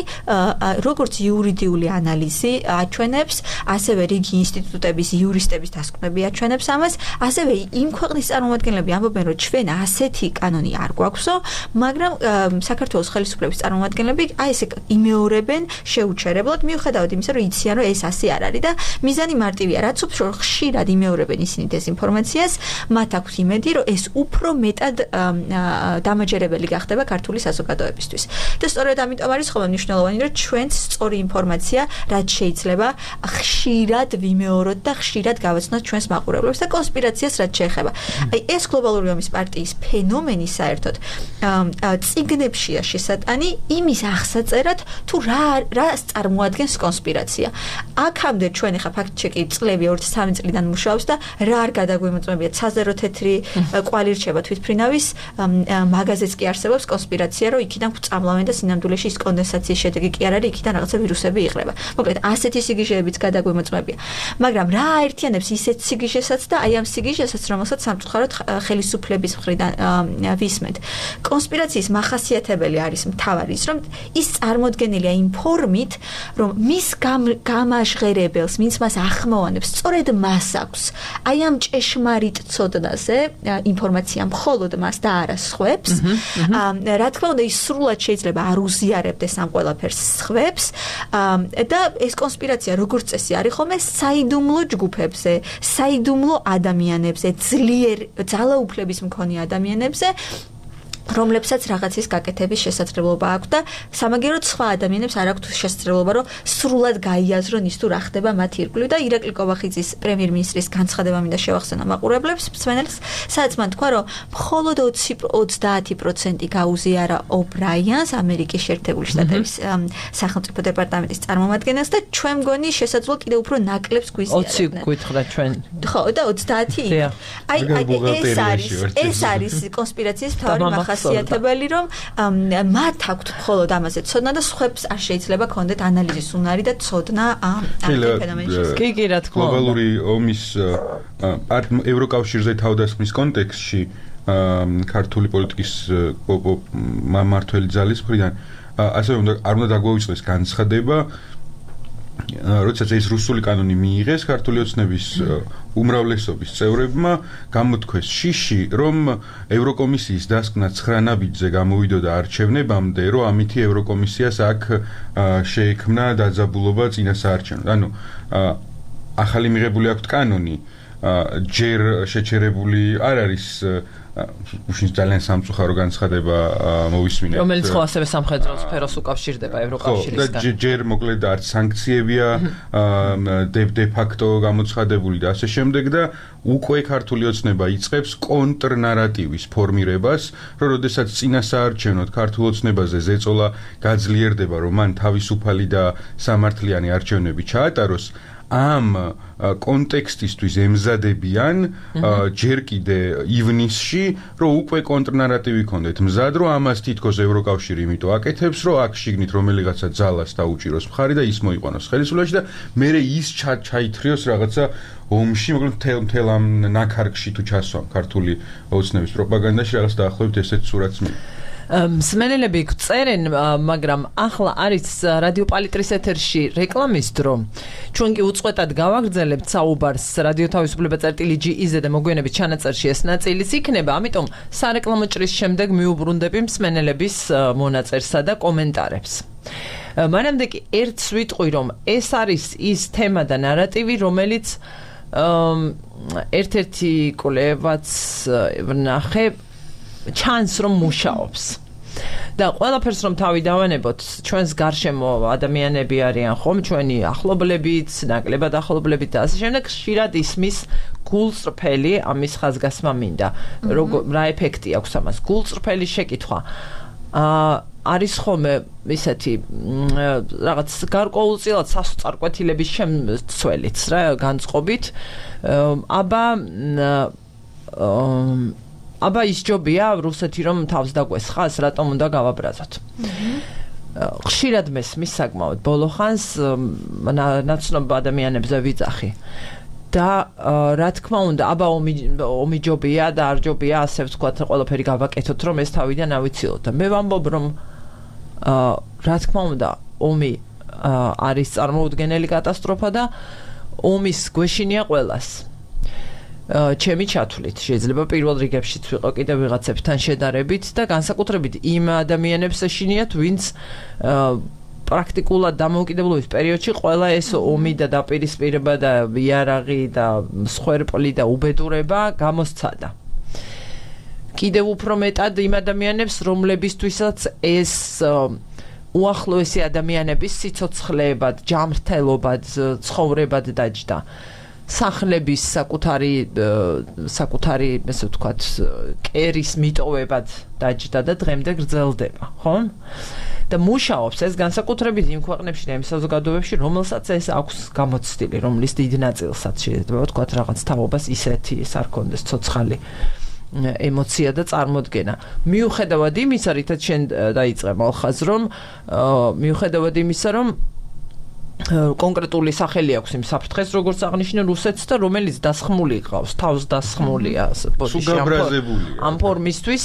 როგორც იურიდიული ანალიზი აჩვენებს, ასევე რიგი ინსტიტუტების იურისტების დასკვნები აჩვენებს ამას, ასევე იმ ქვეყნის წარმომადგენლები ამბობენ, რომ ჩვენ ასეთი კანონი არ გვაქვსო, მაგრამ საქართველოს ხელისუფლების წარმომადგენლები აი ესე იმეორებენ შეუჩერებლად, მიუხედავად იმისა, რომ იციან, რომ ეს ასე არ არის და მიზანი მარტივია, რაც უფრო ხშირად იმეორებენ ისინი დეზინფორმაციას, მათ აქვს იმედი, რომ ეს უფრო მეტად დამაჯერებელი გახდება ქართული საზოგადოებისთვის. და სწორედ ამიტომ არის ხოლმე მნიშვნელოვანი, რომ ჩვენც სწორი ინფორმაცია, რაც შეიძლება ხშირად ვიმეოროთ და ხშირად გავაცნოთ ჩვენს მაყურებლებს და კონსპირაციას რაც შეეხება. აი ეს გლობალური ომის პარტიის ფენომენი საერთოდ წიგნებშია შესატანი იმის აღსაწერად, თუ რა რას წარმოადგენს კონსპირაცია. აქამდე ჩვენ ახლა ფაქტ-ჩეკი წლები ორი სამი წლიდან მუშაობს და რა არ გადაგვიმოწმებია ცაზერო თეთრი კვალი რჩება თვითფრინავის მაგაზეც კი არსებობს კონსპირაცია, რომ იქიდან გვწამლავენ და სინამდვილეში ის კონდენსაციის შედეგი კი არ არის, იქიდან რაღაცა ვირუსები იღრება. მოკლედ, ასეთი სიგიჟეებიც გადაგვიმოწმებია. მაგრამ რა აერთიანებს ისეთ სიგიჟესაც და აი ამ სიგიჟესაც, რომელსაც სამწუხაროდ ხელისუფლების მხრიდან ვისმენთ. კონსპირაციის მახასიათებელი არის მთავარი ის, რომ ის წარმოდგენილია იმ ფორმით, რომ მის გამაჟღერებელს, ვინც მას ახმოვანებს, სწორედ მას აქვს. აი ამ ჭეშმარიტ ცოდნაზე ინფორმაცია მხოლოდ მას და არა სხვებს. რა თქმა უნდა, ის სრულად შეიძლება არ უზიარებდეს ამ ყველაფერს სხვებს და ეს კონსპირაცია როგორც წესი არის ხოლმე საიდუმლო ჯგუფებზე, საიდუმლო ადამიანებზე, ძლიერ ძალაუფლების მქონე ადამიანებზე, რომლებსაც რაღაცის გაკეთების შესაძლებლობა აქვს და სამაგიეროდ სხვა ადამიანებს არ აქვთ შესაძლებლობა, რომ სრულად გაიაზრონ ის თუ რა ხდება მათ ირგვლივ და ირაკლი კობახიძის პრემიერ-მინისტრის განცხადება მინდა შევახსენო მაყურებლებს, მსმენელს, სადაც მან თქვა, რომ მხოლოდ ოცდაათი პროცენტი გაუზიარა ობრაიანს, ამერიკის შეერთებული შტატების სახელმწიფო დეპარტამენტის წარმომადგენელს და ჩვენ მგონი შესაძლოა კიდევ უფრო ნაკლებს გვიზიარებდნენ. ოცი გითხრა ჩვენ. ხო, და ოცდაათი. აი, ეს არის, ეს არის კონსპირაციის მთავარი მახასიათებელი, რომ მათ აქვთ მხოლოდ ამაზე ცოდნა და სხვებს არ შეიძლება ქონდეთ ანალიზის უნარი და ცოდნა ამ ფენომენში. კი, კი, რა თქმა უნდა. გლობალური ომის ევროკავშირზე თავდასხმის კონტექსტში ქართული პოლიტიკის მმართველი ძალის მხრიდან ასევე არ უნდა დაგვეუწყდეს განცხადება, როდესაც ეს რუსული კანონი მიიღეს ქართული ოცნების უმრავლესობის წევრებმა გამოთქვეს შიში, რომ ევროკომისიის დასკვნა ცხრა ნაბიჯზე გამოვიდოდა არჩევნებამდე, რომ ამითი ევროკომისიას აქ შეექმნა დაძაბულობა წინასაარჩევნოდ. ანუ ახალი მიღებული აქვთ კანონი, ჯერ შეჩერებული არ არის უშინ ძალიან სამწუხარო განცხადება მოვისმინეთ. რომელიც ხო ასევე სამხედრო სფეროს უკავშირდება ევროკავშირისგან. ხო, ჯერ მოკლედ არც სანქციებია დე ფაქტო გამოცხადებული და ასე შემდეგ და უკვე ქართული ოცნება იწყებს კონტრნარატივის ფორმირებას, რომ როდესაც წინასაარჩევნოდ ქართულ ოცნებაზე ზეწოლა გაძლიერდება, რომ მან თავისუფალი და სამართლიანი არჩევნები ჩაატაროს, ამ კონტექსტისთვის ემზადებიან ჯერ კიდე ივნისში, რომ უკვე კონტრნარატივი ქონდეთ მზად, რომ ამას თითქოს ევროკავშირი იმიტომ აკეთებს, რომ აქ შიგნით რომელიღაცა ძალას დაუჭიროს მხარი და ის მოიყვანოს ხელისუფლებაში და მერე ის ჩაითრიოს რაღაცა ომში, მოკლედ მთელ მთელ ამ ნაქარგში თუ ჩასვამ ქართული ოცნების პროპაგანდაში რაღაც დაახლოებით ესეთ სურათს მი მსმენელები გწერენ, მაგრამ ახლა არის რადიო პალიტრის ეთერში რეკლამის დრო. ჩვენ კი უწყვეტად გავაგრძელებთ საუბარს რადიო თავისუფლება წერტილი ჯი-ზე და მოგვიანებით ჩანაწერში ეს ნაწილიც იქნება, ამიტომ სარეკლამო ჭრის შემდეგ მიუბრუნდები მსმენელების მონაწერსა და კომენტარებს. მანამდე კი ერთს ვიტყვი, რომ ეს არის ის თემა და ნარატივი, რომელიც ერთ-ერთი კვლევაც ვნახე ჩანს რომ მუშაობს. და ყველაფერს რომ თავი დავანებოთ, ჩვენს გარშემო ადამიანები არიან ხომ, ჩვენი ახლობლებიც, ნაკლებად ახლობლებიც და ასე შემდეგ, ხშირად ისმის გულწრფელი ამის ხაზგასმა მინდა. რა ეფექტი აქვს ამას? გულწრფელი შეკითხვა. აა არის ხოლმე ისეთი რაღაც გარკვეულწილად სასწარკვეთილების შემცველიც რა განწყობით. აბა აბა ის ჯობია რუსეთი რომ თავს დაგვესხას, რატომ უნდა გავაბრაზოთ. ხშირად მესმის საკმაოდ ბოლო ხანს ნაცნობ ადამიანებზე ვიძახი. და რა თქმა უნდა, აბა ომი ომი ჯობია და არ ჯობია, ასე ვთქვათ, ყველაფერი გავაკეთოთ, რომ ეს თავიდან ავიცილოთ. და მე ვამბობ, რომ რა თქმა უნდა, ომი არის წარმოუდგენელი კატასტროფა და ომის გვეშინია ყველას. ჩემი ჩათვლით, შეიძლება პირველ რიგებშიც ვიყო კიდევ ვიღაცებთან შედარებით და განსაკუთრებით იმ ადამიანებს ეშინიათ, ვინც პრაქტიკულად დამოუკიდებლობის პერიოდში ყველა ეს ომი და დაპირისპირება და იარაღი და მსხვერპლი და უბედურება გამოსცადა. კიდევ უფრო მეტად იმ ადამიანებს, რომლებისთვისაც ეს უახლოესი ადამიანების სიცოცხლეებად, ჯანმრთელობად, ცხოვრებად დაჯდა. სახლების საკუთარი საკუთარი, ესე ვთქვათ, კერის მიტოვებად დაჯდა და დღემდე გრძელდება, ხო? და მუშაობს ეს განსაკუთრებით იმ ქვეყნებში და იმ საზოგადოებებში, რომელსაც ეს აქვს გამოცდილი, რომლის დიდ ნაწილსაც შეიძლება ვთქვათ რაღაც თაობას ისეთი ეს არ კონდეს ცოცხალი ემოცია და წარმოდგენა. მიუხედავად იმისა, რითაც შენ დაიწყე მალხაზ, რომ მიუხედავად იმისა, რომ კონკრეტული სახელი აქვს იმ საფრთხეს, როგორც აღნიშნე რუსეთს და რომელიც დასხმული ყავს, თავს დასხმულია, სუგაბრაზებულია. ამ ფორმისთვის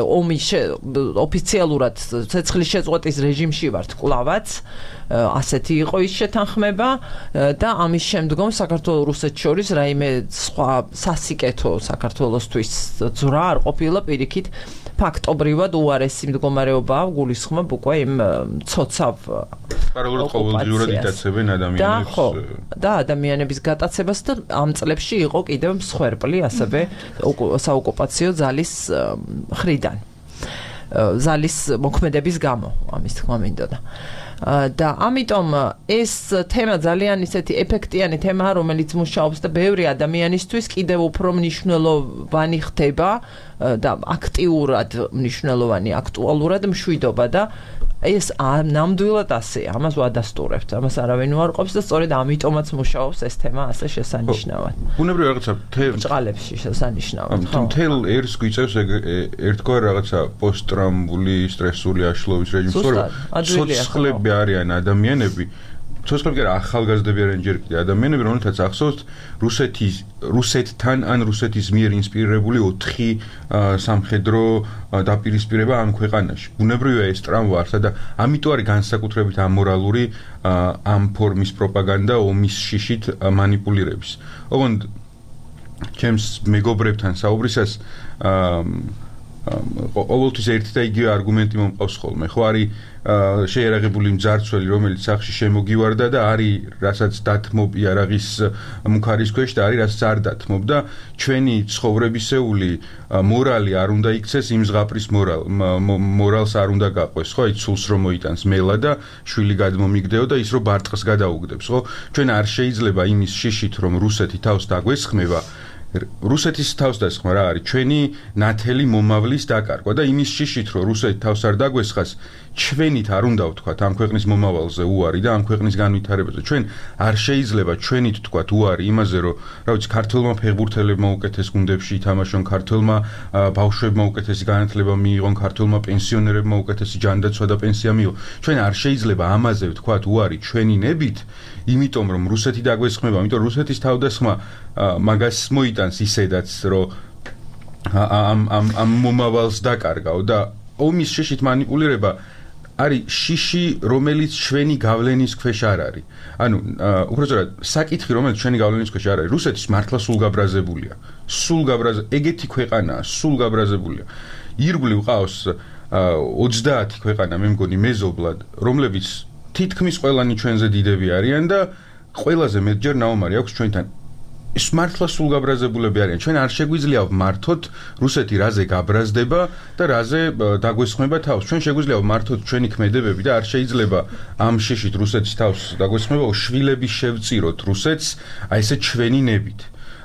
ომი ოფიციალურად ცეცხლის შეწყვეტის რეჟიმში ვართ კლავაც, ასეთი იყო ის შეთანხმება და ამის შემდგომ საქართველოს რუსეთს შორის რაიმე სხვა სასიკეთო საქართველოსთვის ძვრა არ ყოფილა პირიქით ფაქტობრივად უარესი მდგომარეობაა გულისხმობ უკვე იმ ცოცავ პარალელურად ყოველდღიურად იტაცებენ ადამიანებს და ადამიანების გატაცებას და ამ წლებში იყო კიდევ მსხვერპლი ასევე საოკუპაციო ძალის მხრიდან ძალის მოქმედების გამო ამის თქმა მინდოდა და ამიტომ ეს თემა ძალიან ისეთი ეფექტიანი თემაა, რომელიც მუშაობს და ბევრი ადამიანისთვის კიდევ უფრო მნიშვნელოვანი ხდება და აქტიურად მნიშვნელოვანი, აქტუალურად მშვიდობა და ეს ნამდვილად ასეა, ამას ვადასტურებთ, ამას არავინ უარყოფს და სწორედ ამიტომაც მუშაობს ეს თემა ასე შესანიშნავად. ბუნებრივი რაღაცა ბრჭყალებში შესანიშნავად. მთელ ერს გვიწევს ერთგვარ რაღაცა პოსტტრაუმული სტრესული აშლობის რეჟიმს, რომ ცოცხლები არიან ადამიანები, ცოცხლები არა ახალგაზრდები არიან ჯერ კიდევ ადამიანები, რომელთაც ახსოვთ რუსეთის რუსეთთან ან რუსეთის მიერ ინსპირირებული ოთხი სამხედრო დაპირისპირება ამ ქვეყანაში. ბუნებრივია ეს ტრამვა არსა და ამიტომ არის განსაკუთრებით ამორალური ამ ფორმის პროპაგანდა ომის შიშით მანიპულირების. ოღონდ ჩემს მეგობრებთან საუბრისას ყოველთვის ერთი და იგივე არგუმენტი მომყავს ხოლმე. ხო არის შეერაღებული მძარცველი, რომელიც სახში შემოგივარდა და არის რასაც დათმობ იარაღის მუქარის ქვეშ და არის რასაც არ დათმობ და ჩვენი ცხოვრებისეული მორალი არ უნდა იქცეს იმ ზღაპრის მორალს არ უნდა გაყვეს, ხო? აი ცულს რომ მოიტანს მელა და შვილი გადმომიგდეო და ის რომ ბარტყს გადაუგდებს, ხო? ჩვენ არ შეიძლება იმის შიშით რომ რუსეთი თავს დაგვესხმება რუსეთის თავსდასხმა რა არის ჩვენი ნათელი მომავლის დაკარგვა და იმის შიშით რომ რუსეთი თავს არ დაგვესხას ჩვენით არ უნდა ვთქვათ ამ ქვეყნის მომავალზე უარი და ამ ქვეყნის განვითარებაზე ჩვენ არ შეიძლება ჩვენით ვთქვათ უარი იმაზე რომ რა ვიცი ქართველმა ფეხბურთელებმა უკეთეს გუნდებში ითამაშონ ქართველმა ბავშვებმა უკეთესი განათლება მიიღონ ქართველმა პენსიონერებმა უკეთესი ჯანდაცვა და პენსია მიიღონ ჩვენ არ შეიძლება ამაზე ვთქვათ უარი ჩვენი ნებით იმიტომ რომ რუსეთი დაგვესხმება იმიტომ რუსეთის თავდასხმა მაგას მოიტანს ისედაც რომ ამ ამ ამ მომავალს დაკარგავ და ომის შიშით მანიპულირება არის შიში რომელიც ჩვენი გავლენის ქვეშ არ არის ანუ უბრალოდ საკითხი რომელიც ჩვენი გავლენის ქვეშ არ არის რუსეთის მართლა სულ გაბრაზებულია სულ გაბრაზ ეგეთი ქვეყანაა სულ გაბრაზებულია ირგვლივ ყავს ოცდაათი ქვეყანა მე მგონი მეზობლად რომლებიც თითქმის ყველანი ჩვენზე დიდები არიან და ყველაზე მეტჯერ ნაომარი აქვს ჩვენთან ის მართლა სულ გაბრაზებულები არიან ჩვენ არ შეგვიძლია ვმართოთ რუსეთი რაზე გაბრაზდება და რაზე დაგვესხმება თავს ჩვენ შეგვიძლია ვმართოთ ჩვენი ქმედებები და არ შეიძლება ამ შეშით რუსეთის თავს დაგვესხმება შვილები შევწიროთ რუსეთს აი ესე ჩვენი ნებით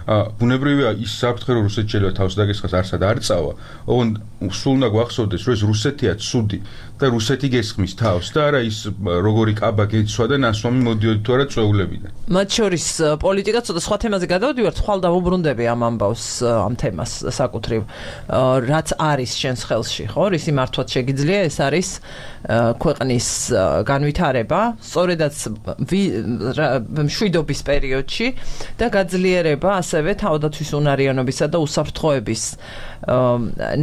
ბუნებრივია ის საფრთხე რომ რუსეთი შეიძლება თავს დაგესხას არსად არ წავა, ოღონდ სულ უნდა გვახსოვდეს რომ ეს რუსეთია ცუდი და რუსეთი გესხმის თავს და არა ის როგორი კაბა გეცვა და ნასვამი მოდიოდი თუ არა წვეულებიდან. მათ შორის პოლიტიკა ცოტა სხვა თემაზე გადავდივართ, ხვალ დავუბრუნდები ამ ამბავს ამ თემას საკუთრივ რაც არის შენს ხელში, ხო? რისი მართვაც შეგიძლია, ეს არის ქვეყნის განვითარება, სწორედაც მშვიდობის პერიოდში და გაძლიერება ასევე თავდაცვის უნარიანობისა და უსაფრთხოების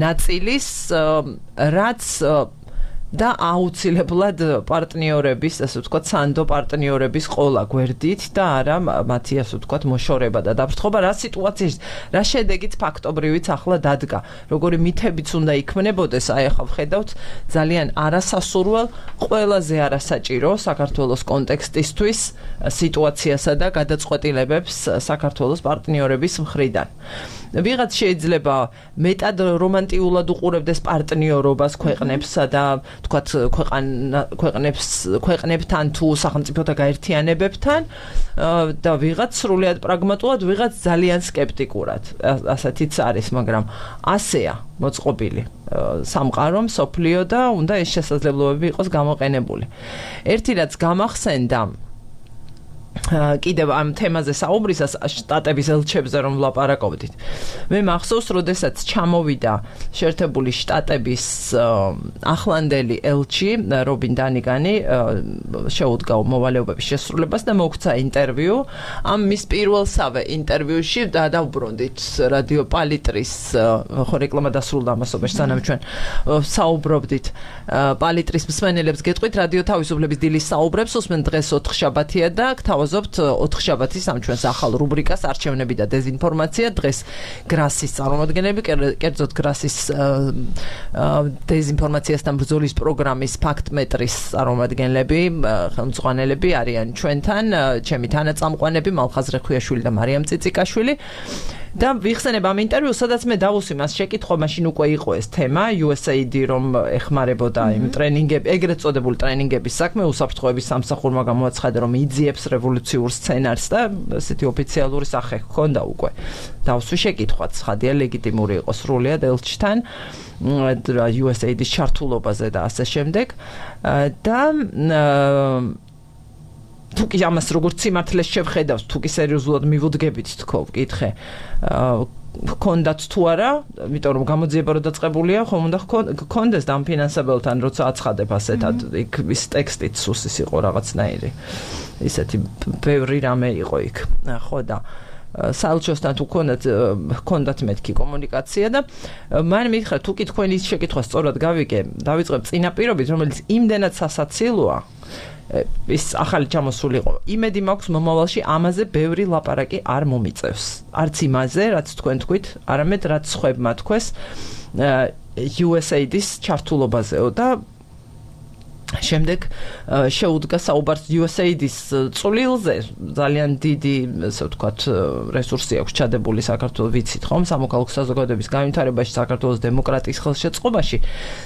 ნაწილის, რაც და აუცილებლად პარტნიორების, ასე ვთქვათ, სანდო პარტნიორების ყოლა გვერდით და არა მათი, ასე ვთქვათ, მოშორება და დაფრთხობა რა სიტუაციაში, რა შედეგიც ფაქტობრივიც ახლა დადგა. როგორი მითებიც უნდა იქმნებოდეს, აი ახლა ვხედავთ ძალიან არასასურველ, ყველაზე არასაჭირო საქართველოს კონტექსტისთვის სიტუაციასა და გადაწყვეტილებებს საქართველოს პარტნიორების მხრიდან. ვიღაც შეიძლება მეტად რომანტიულად უყურებდეს პარტნიორობას ქვეყნებსა და თქვათ ქვეყნებს ქვეყნებთან თუ სახელმწიფოთა გაერთიანებებთან და ვიღაც სრულიად პრაგმატულად, ვიღაც ძალიან სკეპტიკურად. ასეთიც არის, მაგრამ ასეა მოწყობილი სამყარო, მსოფლიო და უნდა ეს შესაძლებლობები იყოს გამოყენებული. ერთი რაც გამახსენდა კიდევ ამ თემაზე საუბრისას შტატების ელჩებზე რომ ვლაპარაკობდით. მე მახსოვს, როდესაც ჩამოვიდა შეერთებული შტატების ახლანდელი ელჩი რობინ დანიგანი შეუდგა მოვალეობების შესრულებას და მოგვცა ინტერვიუ. ამ მის პირველსავე ინტერვიუში დავუბრუნდით რადიო პალიტრის ხო რეკლამა დასრულდა ამასობაში, სანამ ჩვენ საუბრობდით პალიტრის მსმენელებს გეტყვით რადიო თავისუფლების დილის საუბრებს უსმენ დღეს ოთხშაბათია და გთავაზობთ ოთხშაბათის ამ ჩვენს ახალ რუბრიკას არჩევნები და დეზინფორმაცია. დღეს გრასის წარმომადგენლები, კერძოდ გრასის დეზინფორმაციასთან ბრძოლის პროგრამის ფაქტმეტრის წარმომადგენლები, ხელმძღვანელები არიან ჩვენთან, ჩემი თანაწამყვანები მალხაზ რეხვიაშვილი და მარიამ წიწიკაშვილი. და ვიხსენებ ამ ინტერვიუს, სადაც მე დავუსვი მას შეკითხვა, მაშინ უკვე იყო ეს თემა, იუ ეს ეი დი რომ ეხმარებოდა იმ ტრენინგები, ეგრეთ წოდებული ტრენინგების საქმე, უსაფრთხოების სამსახურმა გამოაცხადა, რომ იძიებს რევოლუციურ სცენარს და ესეთი ოფიციალური სახე ჰქონდა უკვე. დავუსვი შეკითხვაც, ხადია ლეგიტიმური იყო სრულიად ელჩთან იუ ეს ეი დის ჩართულობაზე და ასე შემდეგ. და თუკი ამას როგორც სიმართლეს შევხედავს, თუკი სერიოზულად მივუდგებით თქო, ვკითხე. ჰქონდათ თუ არა, იმიტომ რომ გამოძიება რო დაწყებულია, ხომ უნდა ჰქონდეს დამფინანსებელთან, როცა აცხადებ ასეთად, იქ ის ტექსტიც სუსის იყო რაღაცნაირი. ისეთი ბევრი რამე იყო იქ. ხო და საელჩოსთან თუ ჰქონდათ ჰქონდათ მეთქი კომუნიკაცია და მან მითხრა, თუკი თქვენი შეკითხვა სწორად გავიგე, დავიწყებ წინაპირობით, რომელიც იმდენად სასაცილოა, ის ახალი ჩამოსული იყო. იმედი მაქვს მომავალში ამაზე ბევრი ლაპარაკი არ მომიწევს. არც იმაზე, რაც თქვენ თქვით, არამედ რაც სხვებმა თქვეს იუ ეს ეი დის ჩართულობაზეო და შემდეგ შეუდგა საუბარს იუ ეს ეი დის წვლილზე. ძალიან დიდი, ასე ვთქვათ, რესურსი აქვს ჩადებული საქართველოს, ვიცით ხომ, სამოქალაქო საზოგადოების განვითარებაში, საქართველოს დემოკრატიის ხელშეწყობაში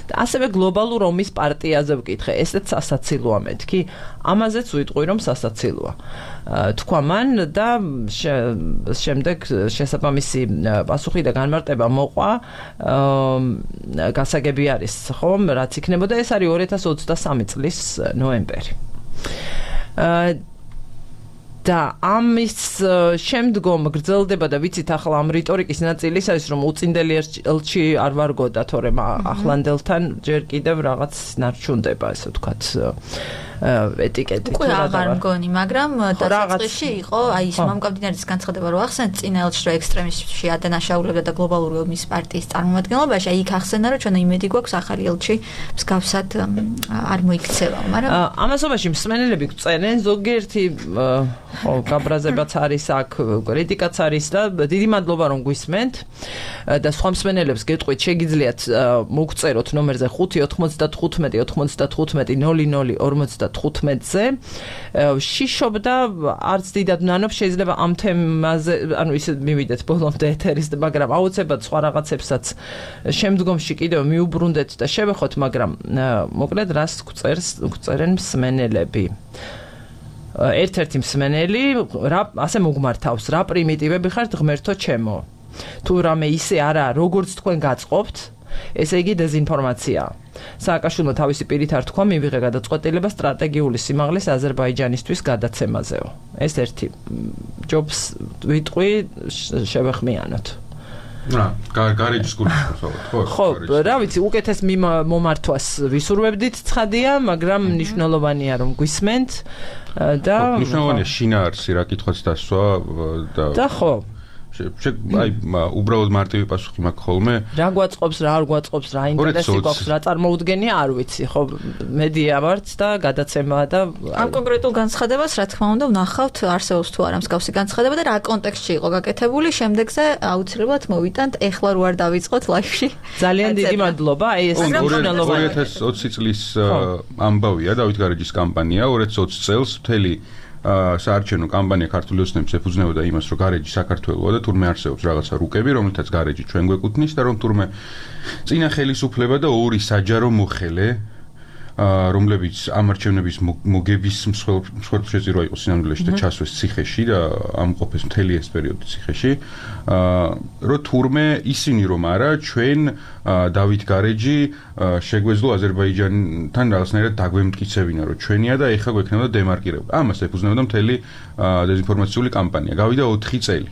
და ასევე გლობალურ ომის პარტიაზე ვკითხე. ესეც სასაცილოა მეთქი. ამაზეც ვიტყვი, რომ სასაცილოა. თქვა მან და შემდეგ შესაბამისი პასუხი და განმარტება მოყვა. გასაგები არის, ხომ, რაც იქნებოდა, ეს არის ორი ათას ოცდასამი წლის ნოემბერი. და ამის შემდგომ გრძელდება და ვიცით ახლა ამ რიტორიკის ნაწილი ის არის, რომ უწინდელი ელჩი არ ვარგოდა, თორემ ახლანდელთან ჯერ კიდევ რაღაც ნარჩუნდება, ასე ვთქვათ, ეტიკეტი. უკვე აღარ მგონი, მაგრამ დასაწყისში იყო, აი ის მამკაბდინარის განცხადება რო ახსენეთ, წინა ელჩს რო ექსტრემისტში ადანაშაულებდა და გლობალური ომის პარტიის წარმომადგენლობაში, აი იქ ახსენა, რომ ჩვენ იმედი გვაქვს ახალი ელჩი მსგავსად არ მოიქცევა, მაგრამ ამასობაში მსმენელები გვწერენ, ზოგიერთი ხო, გაბრაზებაც არის აქ, კრიტიკაც არის და დიდი მადლობა რომ გვისმენთ და სხვა მსმენელებს გეტყვით, შეგიძლიათ მოგწეროთ ნომერზე ხუთი ოთხმოცდათხუთმეტი ოთხმოცდათხუთმეტი ნული ნული ორმოცდათხუთმეტზე. შიშობდა არც დიდად ვნანობ, შეიძლება ამ თემაზე, ანუ ისე მივიდეთ ბოლომდე ეთერის, მაგრამ აუცილებლად სხვა რაღაცებსაც შემდგომში კიდევ მიუბრუნდეთ და შევეხოთ, მაგრამ მოკლედ რას გვწერს, გვწერენ მსმენელები. ერთ-ერთი მსმენელი რა ასე მოგმართავს, რა პრიმიტივები ხართ ღმერთო ჩემო. თუ რამე ისე არა, როგორც თქვენ გაწყობთ, ესე იგი დეზინფორმაციაა. სააკაშვილმა თავისი პირით არ თქვა, მივიღე გადაწყვეტილება სტრატეგიული სიმაღლის აზერბაიჯანისთვის გადაცემაზეო. ეს ერთი ჯობს ვიტყვი შევეხმიანოთ. რა, გარეჯის კურსს ხო? ხო, რა ვიცი, უკეთეს მომართვას ვისურვებდით ცხადია, მაგრამ მნიშვნელოვანია რომ გვისმენთ და მნიშვნელოვანია შინაარსი რა კითხვაც დასვა და და ხო აი უბრალოდ მარტივი პასუხი მაქვს ხოლმე. რა გვაწყობს, რა არ გვაწყობს, რა ინტერესი გვაქვს, რა წარმოუდგენია, არ ვიცი, ხო, მედია ვართ და გადაცემაა და ამ კონკრეტულ განცხადებას, რა თქმა უნდა, ვნახავთ არსებობს თუ არა მსგავსი განცხადება და რა კონტექსტში იყო გაკეთებული, შემდეგზე აუცილებლად მოვიტანთ, ეხლა რო არ დავიწყოთ ლაივში. ძალიან დიდი მადლობა, აი ეს მნიშვნელოვანია. ორი ათას ოცი წლის ამბავია დავით გარეჯის კამპანია, ორი ათას ოცი წელს მთელი საარჩევნო კამპანია ქართული ოცნების ეფუძნებოდა იმას, რომ გარეჯი საქართველოა და თურმე არსებობს რაღაცა რუკები, რომლითაც გარეჯი ჩვენ გვეკუთვნის და რომ თურმე წინა ხელისუფლება და ორი საჯარო მოხელე, რომლებიც ამ არჩევნების მოგების მსხვერპლშეწირვა იყო სინამდვილეში და ჩასვეს ციხეში და ამყოფეს მთელი ეს პერიოდი ციხეში, რომ თურმე ისინი რომ არა, ჩვენ დავით გარეჯი შეგვეძლო აზერბაიჯანთან რაღაცნაირად დაგვემტკიცებინა, რომ ჩვენია და ეხლა გვექნება დემარკირება. ამას ეფუძნებოდა მთელი დეზინფორმაციული კამპანია. გავიდა ოთხი წელი.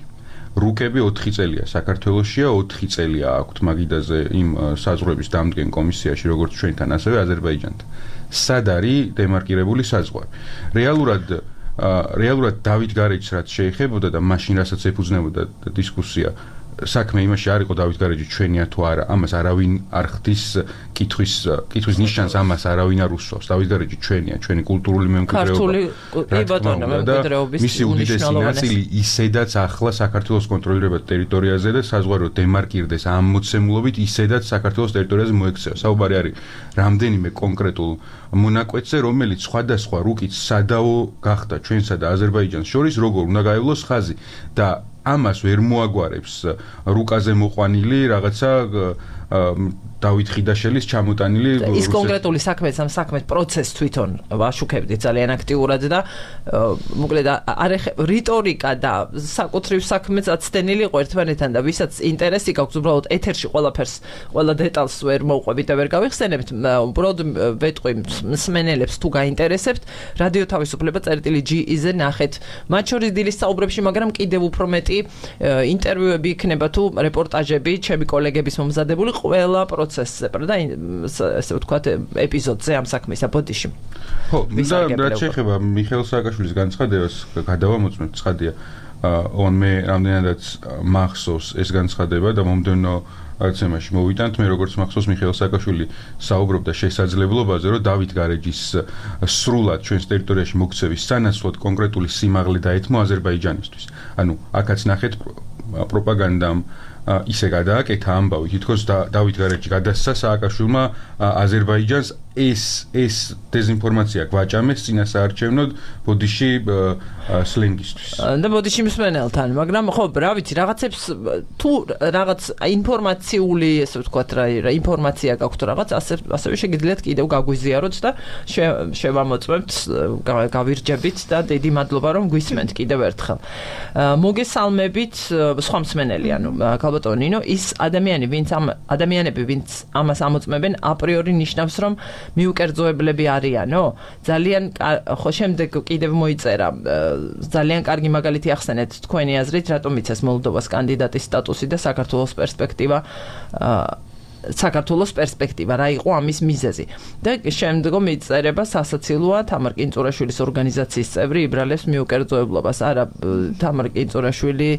რუკები ოთხი წელია საქართველოშია, ოთხი წელია აქვთ მაგიდაზე იმ საზღვრების დამდგენ კომისიაში, როგორც ჩვენთან, ასევე აზერბაიჯანთან. სად არის დემარკირებული საზღვარი? რეალურად რეალურად დავით გარეჯს რაც შეეხებოდა და მაშინ რასაც ეფუძნებოდა დისკუსია საქმე იმაში არ იყო დავით გარეჯი ჩვენია თუ არა, ამას არავინ არ ხდის კითხვის კითხვის ნიშანს, ამას არავინ არ უსვავს. დავით გარეჯი ჩვენია, ჩვენი კულტურული მემკვიდრეობა. ქართული ბატონო მემკვიდრეობის მისი უდიდესი ნაწილი ისედაც ახლა საქართველოს კონტროლირებად ტერიტორიაზე და საზღვარო დემარკირდეს ამ მოცემულობით ისედაც საქართველოს ტერიტორიაზე მოექცევა. საუბარი არის რამდენიმე კონკრეტულ მონაკვეთზე, რომელიც სხვადასხვა რუკით სადაო გახდა ჩვენსა და აზერბაიჯანს შორის, როგორ უნდა გაევლოს ხაზი და ამას ვერ მოაგვარებს რუკაზე მოყვანილი რაღაცა დავით ხიდაშელის ჩამოტანილი ის კონკრეტული საქმე ამ საქმეს პროცესს თვითონ ვაშუქებდი ძალიან აქტიურად და მოკლედ არ რიტორიკა და საკუთრივ საქმეც აცდენილი იყო ერთმანეთთან და ვისაც ინტერესი გაქვს უბრალოდ ეთერში ყველაფერს ყველა დეტალს ვერ მოვყვებით და ვერ გავიხსენებთ უბრალოდ ვეტყვი მსმენელებს თუ გაინტერესებთ რადიო თავისუფლება წერტილი ჯი-ზე ნახეთ მათ შორის დილის საუბრებში მაგრამ კიდევ უფრო მეტი ინტერვიუები იქნება თუ რეპორტაჟები ჩემი კოლეგების მომზადებული ყველა პროცესზე და ესე ვთქვათ ეპიზოდზე ამ საქმის აპოდიში. ხო, და რაც შეეხება მიხეილ სააკაშვილის განცხადებას გადავამოწმებ ცხადია. on მე რამდენადაც მახსოვს ეს განცხადება და მომდევნო არცემაში მოვიტანთ მე როგორც მახსოვს მიხეილ სააკაშვილი საუბრობდა შესაძლებლობაზე რომ დავით გარეჯის სრულად ჩვენს ტერიტორიაში მოქცევის სანაცვლოდ კონკრეტული სიმაღლე დაეთმო აზერბაიჯანისთვის. ანუ აქაც ნახეთ პროპაგანდამ ისე გადააკეთა ამბავი თითქოს დავით გარეჯი გადასცა სააკაშვილმა აზერბაიჯანს ეს ეს დეზინფორმაცია გვაჭამეს წინასაარჩევნოდ ბოდიში სლენგისთვის. და ბოდიში მსმენელთან, მაგრამ ხო, რა ვიცი, რაღაცებს თუ რაღაც ინფორმაციული, ესე ვთქვათ, რა ინფორმაცია გაქვთ რაღაც, ასე ასევე შეგიძლიათ კიდევ გაგვიზიაროთ და შევამოწმებთ, გავირჯებით და დიდი მადლობა რომ გვისმენთ კიდევ ერთხელ. მოგესალმებით სხვა მსმენელი, ანუ ქალბატონო ნინო, ის ადამიანი, ვინც ამ ადამიანები, ვინც ამას ამოწმებენ, აპრიორი ნიშნავს, რომ მიუკერძოებლები არიანო? ძალიან ხო შემდეგ კიდევ მოიწერა ძალიან კარგი მაგალითი ახსენეთ თქვენი აზრით, რატომ იცეს მოლდოვას კანდიდატის სტატუსი და საქართველოს პერსპექტივა საქართველოს პერსპექტივა რა იყო ამის მიზეზი და შემდგომ იწერება სასაცილოა თამარ კინწურაშვილის ორგანიზაციის წევრი იბრალებს მიუკერძოებლობას არა თამარ კინწურაშვილი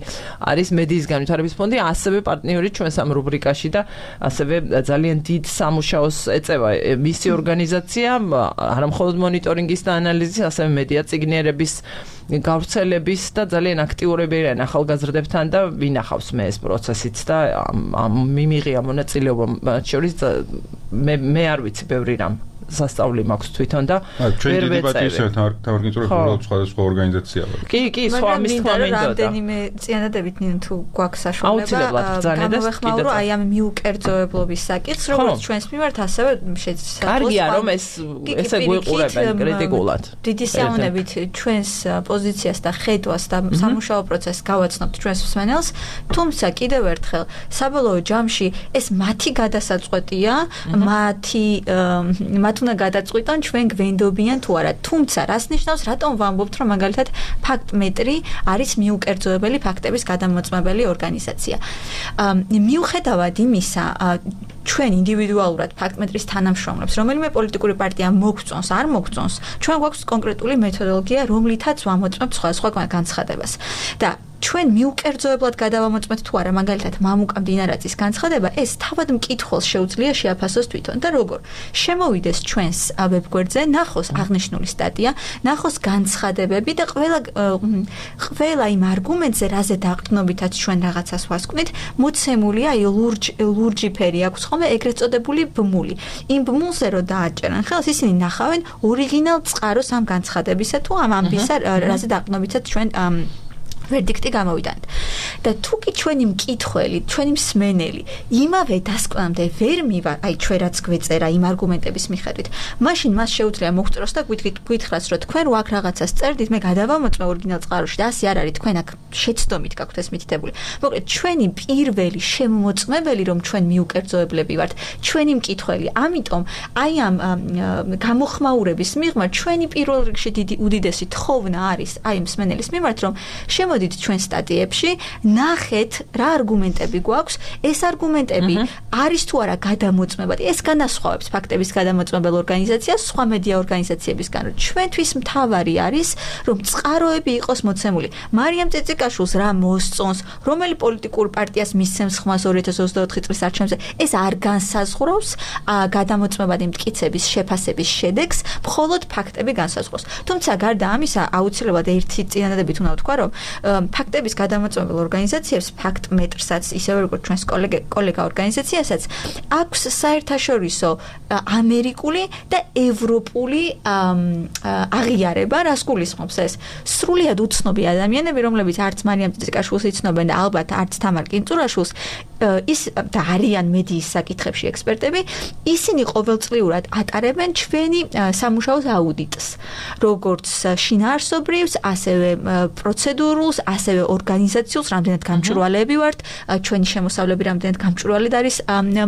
არის მედიის განვითარების ფონდი ასევე პარტნიორი ჩვენს ამ რუბრიკაში და ასევე ძალიან დიდ სამუშაოს ეწევა მისი ორგანიზაცია არა მხოლოდ მონიტორინგის და ანალიზის ასევე მედია წიგნიერების გავრცელების და ძალიან აქტიურები არიან ახალგაზრდებთან და ვინახავს მე ეს პროცესიც და ამ მიმიღია მონაწილეობა მათ შორის მე მე არ ვიცი ბევრი რამ სასწაული მაქვს თვითონ და ვერ ვეწევი. თავარგინწურებს უბრალოდ სხვადასხვა ორგანიზაცია ვარ. კი, კი, სხვა მის თქმა მინდოდა. რამდენიმე წინადადებით ნინო თუ გვაქვს საშუალება გამოვეხმაურო აი ამ მიუკერძოებლობის საკითხს, როგორც ჩვენს მიმართ, ასევე შეცდომას. კარგია, რომ ეს ესე გვიყურებენ კრიტიკულად. დიდი საუნებით ჩვენს პოზიციას და ხედვას და სამუშაო პროცესს გავაცნობთ ჩვენს მსმენელს, თუმცა კიდევ ერთხელ საბოლოო ჯამში ეს მათი გადასაწყვეტია, მათი მათ უნდა გადაწყვიტონ ჩვენ გვენდობიან თუ არა. თუმცა რას ნიშნავს, რატომ ვამბობთ, რომ მაგალითად ფაქტმეტრი არის მიუკერძოებელი ფაქტების გადამოწმებელი ორგანიზაცია. მიუხედავად იმისა, ჩვენ ინდივიდუალურად ფაქტმეტრის თანამშრომლებს, რომელიმე პოლიტიკური პარტია მოგწონს, არ მოგწონს, ჩვენ გვაქვს კონკრეტული მეთოდოლოგია, რომლითაც ვამოწმებთ სხვადასხვა განცხადებას. და ჩვენ მიუკერძოებლად გადავამოწმეთ თუ არა, მაგალითად, მამუკა მდინარაძის განცხადება, ეს თავად მკითხველს შეუძლია შეაფასოს თვითონ და როგორ შემოვიდეს ჩვენს ვებგვერდზე, ნახოს აღნიშნული სტატია, ნახოს განცხადებები და ყველა ყველა იმ არგუმენტზე, რაზე დაყრდნობითაც ჩვენ რაღაცას ვასკვნით, მოცემულია აი ლურჯ ლურჯი ფერი აქვს ხოლმე ეგრეთ წოდებული ბმული. იმ ბმულზე რო დააჭერან ხელს, ისინი ნახავენ ორიგინალ წყაროს ამ განცხადებისა თუ ამ ამბისა, რაზე დაყრდნობითაც ჩვენ ვერდიქტი გამოვიდანთ. და თუ კი ჩვენი მკითხველი, ჩვენი მსმენელი იმავე დასკვნამდე ვერ მივა, აი ჩვენ რაც გვეწერა იმ არგუმენტების მიხედვით, მაშინ მას შეუძლია მოგწროს და გვითხრას, რომ თქვენ რო აქ რაღაცას წერდით, მე გადავამოწმე ორიგინალ წყაროში და ასე არ არის, თქვენ აქ შეცდომით გაქვთ ეს მითითებული. მოკლედ, ჩვენი პირველი შემოწმებელი, რომ ჩვენ მიუკერძოებლები ვართ, ჩვენი მკითხველი. ამიტომ აი ამ გამოხმაურების მიღმა ჩვენი პირველ რიგში დიდი უდიდესი თხოვნა არის აი მსმენელის მიმართ, რომ შემოდით ჩვენ სტატიებში, ნახეთ რა არგუმენტები გვაქვს, ეს არგუმენტები არის თუ არა გადამოწმებადი. ეს განასხვავებს ფაქტების გადამოწმებელ ორგანიზაციას სხვა მედია ორგანიზაციებისგან. ჩვენთვის მთავარი არის, რომ წყაროები იყოს მოცემული. მარიამ წიწიკაშვილს რა მოსწონს, რომელი პოლიტიკურ პარტიას მისცემს ხმას ორი ათას ოცდაოთხი წლის არჩევნებზე, ეს არ განსაზღვრავს გადამოწმებადი მტკიცების შეფასების შედეგს, მხოლოდ ფაქტები განსაზღვრავს. თუმცა გარდა ამისა, აუცილებლად ერთი წინადადებით უნდა ვთქვა, რომ ფაქტების გადამოწმებელ ორგანიზაციებს, ფაქტმეტრსაც, ისევე როგორც ჩვენს კოლეგა კოლეგა ორგანიზაციასაც, აქვს საერთაშორისო ამერიკული და ევროპული აღიარება, რას გულისხმობს ეს? სრულიად უცნობი ადამიანები, რომლებიც არც მარიამ წიწიკაშვილს იცნობენ და ალბათ არც თამარ კინწურაშვილს, ის და არიან მედიის საკითხებში ექსპერტები, ისინი ყოველწლიურად ატარებენ ჩვენი სამუშაოს აუდიტს, როგორც შინაარსობრივს, ასევე პროცედურულს, ასევე ორგანიზაციულს, რამდენად გამჭვირვალეები ვართ, ჩვენი შემოსავლები რამდენად გამჭვირვალედ არის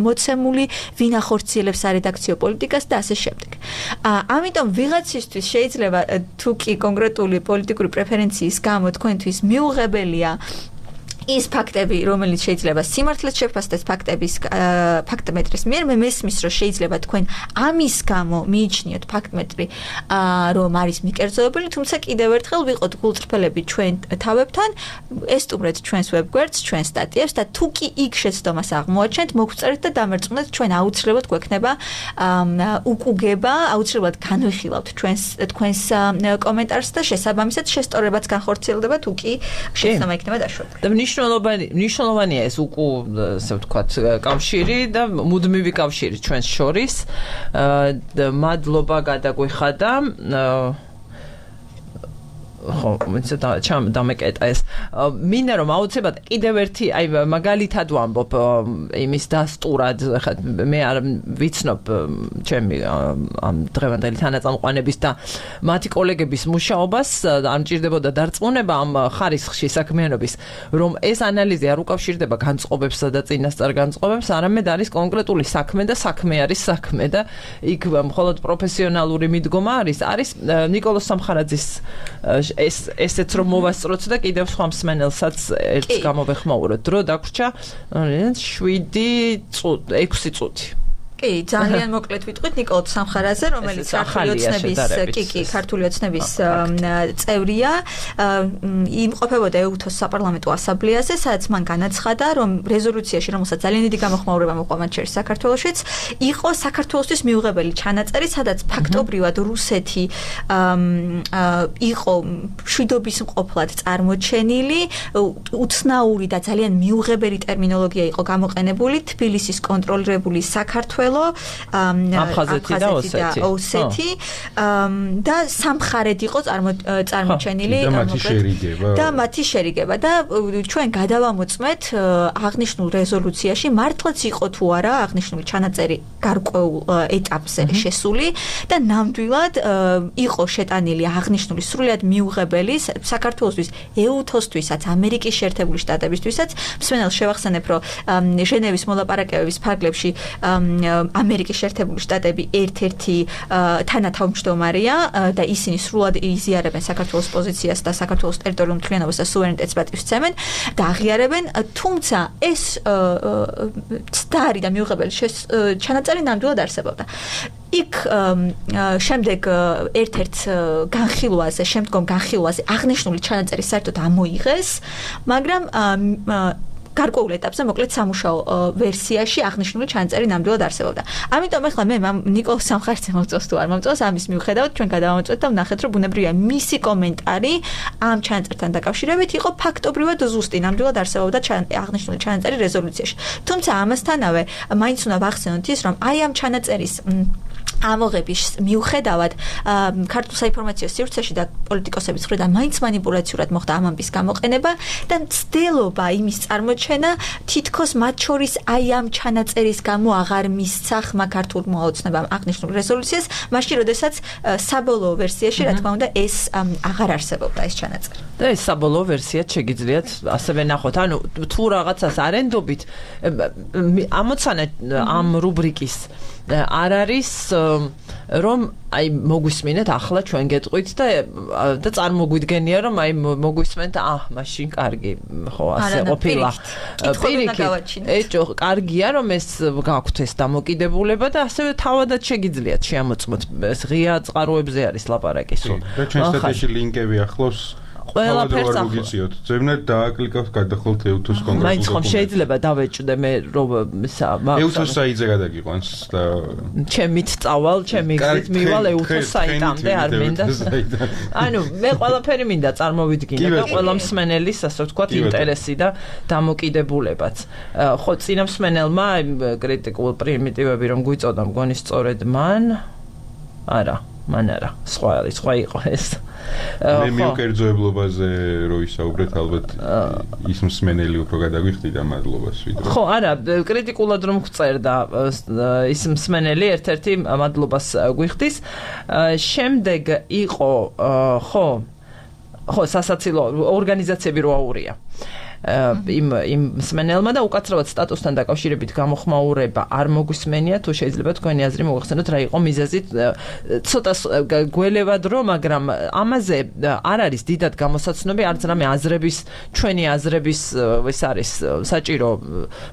მოცემული, ვინ ახორციელებს სარედაქციო პოლიტიკას და ასე შემდეგ. ამიტომ ვიღაცისთვის შეიძლება თუ კი კონკრეტული პოლიტიკური პრეფერენციის გამო თქვენთვის მიუღებელია ის ფაქტები, რომელიც შეიძლება სიმართლეს შეფასდეს ფაქტების ფაქტმეტრის მიერ, მე მესმის, რომ შეიძლება თქვენ ამის გამო მიიჩნიოთ ფაქტმეტრი, რომ არის მიკერძოებელი, თუმცა კიდევ ერთხელ ვიყოთ გულწრფელები ჩვენ თავებთან, ესტუმრეთ ჩვენს ვებგვერდს, ჩვენს სტატიებს და თუ კი იქ შეცდომას აღმოაჩენთ, მოგწერეთ და დამერწმუნეთ, ჩვენ აუცილებლად გვექნება უკუგება, აუცილებლად განვიხილავთ ჩვენს თქვენს კომენტარს და შესაბამისად შესწორებაც განხორციელდება, თუ კი შეცდომა იქნება დაშვებული. მნიშვნელოვანი მნიშვნელოვანია ეს უკუ ასე ვთქვათ კავშირი და მუდმივი კავშირი ჩვენს შორის. მადლობა გადაგვიხადა. ხო, მეცადა ჩამ დამეკეტა ეს. მინდა რომ აუცილებლად კიდევ ერთი, აი მაგალითად ვამბობ იმის დასტურად, ხა მე არ ვიცნობ ჩემი ამ დღევანდელი თანაწამყვანების და მათი კოლეგების მუშაობას, არ მჭირდებოდა დარწმუნება ამ ხარისხში საქმიანობის, რომ ეს ანალიზი არ უკავშირდება განწყობებსა და წინასწარ განწყობებს, არამედ არის კონკრეტული საქმე და საქმე არის საქმე და იქ მხოლოდ პროფესიონალური მიდგომა არის, არის ნიკოლოზ სამხარაძის ეს ესეც რომ მოვასწროთ და კიდევ სხვა მსმენელსაც ერთს გამოვეხმაუროთ. დრო დაგვრჩა შვიდი წუთი, ექვსი წუთი. კი, ძალიან მოკლედ ვიტყვით ნიკოლოზ სამხარაძე, რომელიც ქართული ოცნების, კი, კი, ქართული ოცნების წევრია, იმყოფებოდა ეუთოს საპარლამენტო ასამბლეაზე, სადაც მან განაცხადა, რომ რეზოლუციაში, რომელსაც ძალიან დიდი გამოხმაურება მოყვა მათ შორის საქართველოშიც, იყო საქართველოსთვის მიუღებელი ჩანაწერი, სადაც ფაქტობრივად რუსეთი იყო მშვიდობის მყოფლად წარმოჩენილი, უცნაური და ძალიან მიუღებელი ტერმინოლოგია იყო გამოყენებული, თბილისის კონტროლირებული საქართველო სამეგრელო, აფხაზეთი და ოსეთი და სამხარედ იყო წარმოჩენილი და მათი შერიგება და ჩვენ გადავამოწმეთ აღნიშნულ რეზოლუციაში მართლაც იყო თუ არა აღნიშნული ჩანაწერი გარკვეულ ეტაპზე შესული და ნამდვილად იყო შეტანილი აღნიშნული სრულიად მიუღებელი საქართველოსთვის, ეუთოსთვისაც, ამერიკის შეერთებული შტატებისთვისაც. მსმენელს შევახსენებ, რომ ჟენევის მოლაპარაკებების ფარგლებში ამერიკის შეერთებული შტატები ერთ-ერთი თანათავმჯდომარეა და ისინი სრულად იზიარებენ საქართველოს პოზიციას და საქართველოს ტერიტორიულ მთლიანობას და სუვერენიტეტს პატივსცემენ და აღიარებენ, თუმცა ეს ცდარი და მიუღებელი ჩანაწერი ნამდვილად არსებობდა. იქ შემდეგ ერთ-ერთ განხილვაზე, შემდგომ განხილვაზე აღნიშნული ჩანაწერი საერთოდ ამოიღეს, მაგრამ გარკვეულ ეტაპზე მოკლედ სამუშაო ვერსიაში აღნიშნული ჩანაწერი ნამდვილად არსებობდა. ამიტომ ახლა მე ნიკოლს სამხარზე მომწონს თუ არ მომწონს, ამის მიუხედავად ჩვენ გადავამოწმეთ და ვნახეთ, რომ ბუნებრივია მისი კომენტარი ამ ჩანაწერთან დაკავშირებით იყო ფაქტობრივად ზუსტი, ნამდვილად არსებობდა აღნიშნული ჩანაწერი რეზოლუციაში. თუმცა ამასთანავე მაინც უნდა ვახსენოთ ის, რომ აი ამ ჩანაწერის ამოღების მიუხედავად ქართულ საინფორმაციო სივრცეში და პოლიტიკოსების მხრიდან მაინც მანიპულაციურად მოხდა ამ ამბის გამოყენება და მცდელობა იმის წარმოჩენა თითქოს მათ შორის აი ამ ჩანაწერის გამო აღარ მისცა ხმა ქართულმა ოცნებამ აღნიშნულ რეზოლუციას, მაშინ როდესაც საბოლოო ვერსიაში, რა თქმა უნდა, ეს აღარ არსებობდა ეს ჩანაწერი. და ეს საბოლოო ვერსიაც შეგიძლიათ ასევე ნახოთ. ანუ თუ რაღაცას არენდობით ამოცანა ამ რუბრიკის არ არის რომ აი მოგვისმინეთ ახლა ჩვენ გეტყვით და და წარმოგვიდგენია რომ აი მოგვისმენთ აა მაშინ კარგი ხო ასე ყოფილა პირიქით ეჭო კარგია რომ ეს გაქვთ ეს დამოკიდებულება და ასევე თავადაც შეგიძლიათ შეამოწმოთ ეს ღია წყაროებზე არის ლაპარაკი სულ და ჩვენ სტატიაში ლინკები ახლავს ყველაფერს ახლა ძებნად დააკლიკავთ გადახოლთ ეუთოს კონგრესს მაინც ხომ შეიძლება დავეჭდე მე რომ ეუთოს საიტზე გადაგიყვანს და ჩემით წავალ ჩემი გზით მივალ ეუთოს საიტამდე არ მინდა ანუ მე ყველაფერი მინდა წარმოვიდგინე და ყველა მსმენელის ასე ვთქვათ ინტერესი და დამოკიდებულებაც ხო წინა მსმენელმა კრიტიკულ პრიმიტივები რომ გვიწოდა მგონი სწორედ მან არა მან არა სხვა სხვა იყო ეს მე მიუკერძოებლობაზე რო ისაუბრეთ ალბათ ის მსმენელი უფრო გადაგვიხდი და მადლობას ვიდრე ხო არა კრიტიკულად რომ გწერდა ის მსმენელი ერთ-ერთი მადლობას გვიხდის შემდეგ იყო ხო ხო სასაცილო ორგანიზაციები რო აურია იმ იმ მსმენელმა და უკაცრავად სტატუსთან დაკავშირებით გამოხმაურება არ მოგვისმენია თუ შეიძლება თქვენი აზრი მოგახსენოთ რა იყო მიზეზი ცოტა გველევად რომ მაგრამ ამაზე არ არის დიდად გამოსაცნობი არც რამე აზრების ჩვენი აზრების ეს არის საჭირო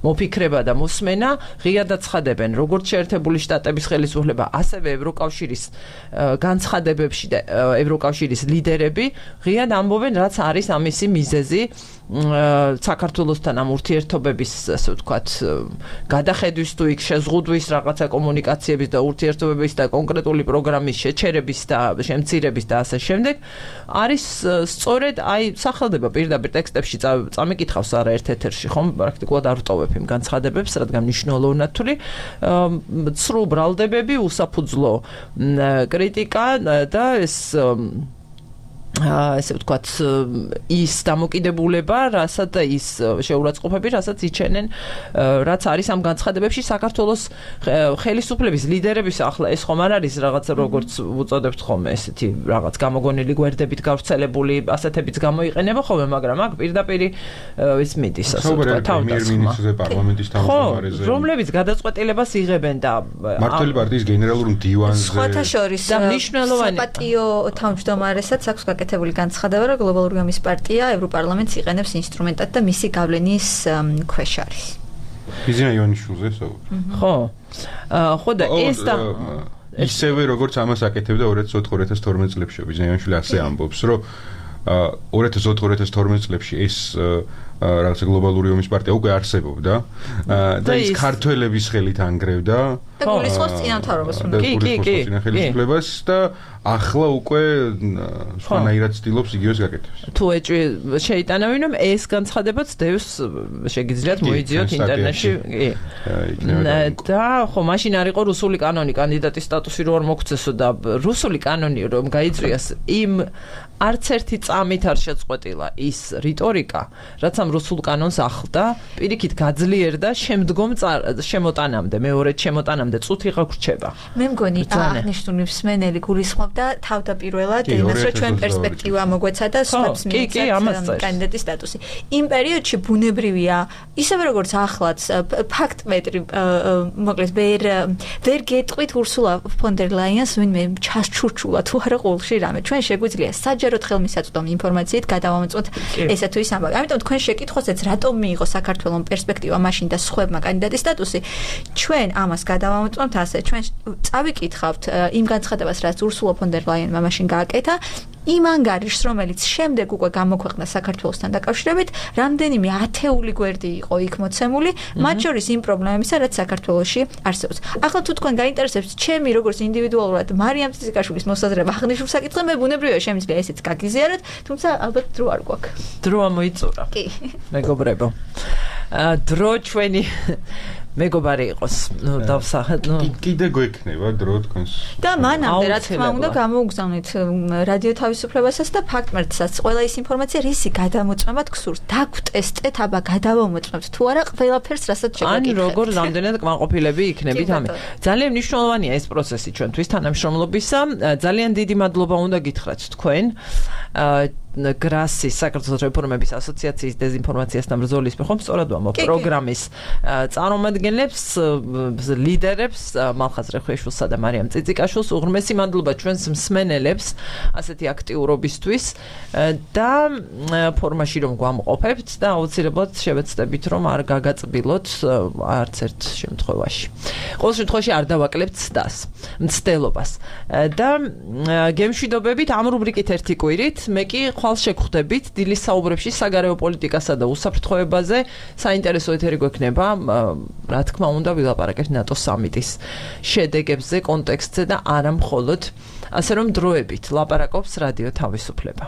მოფიქრება და მოსმენა ღიად აცხადებენ როგორც შეერთებული შტატების ხელისუფლება ასევე ევროკავშირის განცხადებებში და ევროკავშირის ლიდერები ღიად ამბობენ რაც არის ამისი მიზეზი საქართველოსთან ამ ურთიერთობების ასე ვთქვათ გადახედვის თუ იქ შეზღუდვის რაღაცა კომუნიკაციების და ურთიერთობების და კონკრეტული პროგრამის შეჩერების და შემცირების და ასე შემდეგ არის სწორედ აი სახელდება პირდაპირ ტექსტებში წამიკითხავს არაერთ ეთერში ხომ პრაქტიკულად არ ვტოვებ იმ განცხადებებს რადგან მნიშვნელოვნად ნათული ცრუ ბრალდებები უსაფუძვლო კრიტიკა და ეს ასე ვთქვათ ის დამოკიდებულება, რასაც და ის შეურაცხყოფები, რასაც იჩენენ, რაც არის ამ განცხადებებში საქართველოს ხელისუფლების ლიდერების ახლა ეს ხომ არ არის რაღაცა როგორც უწოდებთ ხოლმე ესეთი რაღაც გამოგონილი გვერდებით გავრცელებული ასეთებიც გამოიყენება ხოლმე, მაგრამ აქ პირდაპირ ის მიდის ასე ვთქვათ თავდასხმა პარლამენტის თავმჯდომარეზე რომლებიც გადაწყვეტილებას იღებენ და მართლი პარტიის გენერალურ მდივანზე სხვათა შორის და მნიშვნელოვანი საპატიო თავმჯდომარესაც აქვს გაკეთებული განცხადება, რომ გლობალური გამის პარტია ევროპარლამენტს იყენებს ინსტრუმენტად და მისი გავლენის ქვეშ არის. ბიზნა იონიშვილზე საუბრობ. ხო. ხო და ეს და ისევე როგორც ამას აკეთებდა ორი ათას ოთხ ორი ათას თორმეტ წლებში ბიზნა იონიშვილი ასე ამბობს, რომ ორი ათას ოთხ ორი ათას თორმეტ წლებში ეს რაღაცა გლობალური ომის პარტია უკვე არსებობდა და ის ქართველების ხელით ანგრევდა და გულისხმობს წინამთავრობას უნდა კი კი კი ხელისუფლებას და ახლა უკვე სხვანაირად ცდილობს იგივეს გაკეთებს. თუ ეჭვი შეიტანავენ, რომ ეს განცხადებაც დევს შეგიძლიათ მოიძიოთ ინტერნეტში. კი. და ხო, მაშინ არ იყო რუსული კანონი კანდიდატის სტატუსი რო არ მოგცესო და რუსული კანონი რომ გაიწვიას იმ არც ერთი წამით არ შეწყვეტილა ის რიტორიკა, რაც ამ რუსულ კანონს ახლდა, პირიქით გაძლიერდა შემდგომ შემოტანამდე, მეორე შემოტანამდე წუთი ღაგვრჩება. მე მგონი აღნიშნული მსმენელი გულისხმობდა თავდაპირველად იმას, რომ ჩვენ პერსპექტივა მოგვეცადა სხვებს მიეცათ კანდიდატის სტატუსი. იმ პერიოდში ბუნებრივია, ისევე როგორც ახლაც ფაქტმეტრი მოკლედ ვერ ვერ გეტყვით ურსულა ფონ დერ ლაიანს ვინმე ჩასჩურჩულა თუ არა ყოველში რამე. ჩვენ შეგვიძლია საჯაროდ ხელმისაწვდომი ინფორმაციით გადავამოწმოთ ესა თუ ის ამბავი. ამიტომ თქვენ შეკითხვასაც რატომ მიიღო საქართველოს პერსპექტივა მაშინ და სხვებმა კანდიდატის სტატუსი? ჩვენ ამას გადავამოწმოთ ასე, ჩვენ წავიკითხავთ იმ განცხადებას, რაც ურსულა ფონ დერ ლაიანმა მაშინ გააკეთა, იმ ანგარიშს, რომელიც შემდეგ უკვე გამოქვეყნდა საქართველოსთან დაკავშირებით, რამდენიმე ათეული გვერდი იყო იქ მოცემული, მათ შორის იმ პრობლემებისა, რაც საქართველოში არსებობს. ახლა თუ თქვენ გაინტერესებს ჩემი როგორც ინდივიდუალურად მარიამ წიწიკაშვილის მოსაზრება აღნიშნულ საკითხზე, მე ბუნებრივია შემიძლია ესეც გაგიზიაროთ, თუმცა ალბათ დრო არ გვაქვს. დრო ამოიწურა. კი. მეგობრებო. დრო ჩვენი მეგობარი იყოს. ნუ დავსახეთ, ნუ კიდე გვექნება დრო თქვენს. და მანამდე რა თქმა უნდა გამოუგზავნეთ რადიო თავისუფლებასაც და ფაქტმერცსაც ყველა ის ინფორმაცია, რისი გადამოწმება გსურს. დაგვტესტეთ, აბა გადავამოწმებთ თუ არა ყველაფერს, რასაც შეგვეკითხეთ. ან როგორ რამდენად კმაყოფილები იქნებით ამით. ძალიან მნიშვნელოვანია ეს პროცესი ჩვენთვის თანამშრომლობისა. ძალიან დიდი მადლობა უნდა გითხრათ თქვენ. გრასის საქართველოს რეფორმების ასოციაციის დეзинფორმაციასთან ბრძოლის მეხომ სწორად ვამბობ პროგრამის წარმომადგენლებს, ლიდერებს, მალხაზ რეხვეშვილსა და მარიამ წიწიკაშვილს უღრმესი მადლობა ჩვენს მსმენელებს ასეთი აქტიურობისთვის და ფორმაში რომ გვამყოფებთ და აუცილებლად შევეცდებით რომ არ გაგაწბილოთ არც ერთ შემთხვევაში. ყოველ შემთხვევაში არ დავაკლებთ ცდას, მცდელობას და გემშვიდობებით ამ რუბრიკით ერთი კვირით მე კი ხვალ შეგხვდებით დილის საუბრებში საგარეო პოლიტიკასა და უსაფრთხოებაზე. საინტერესო ეთერი გვექნება, რა თქმა უნდა, ვილაპარაკებთ ნატო სამიტის შედეგებზე, კონტექსტზე და არა მხოლოდ, ასე რომ დროებით ლაპარაკობს რადიო თავისუფლება.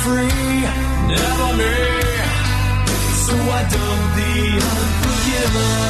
free, never me. So I dug the unforgiven.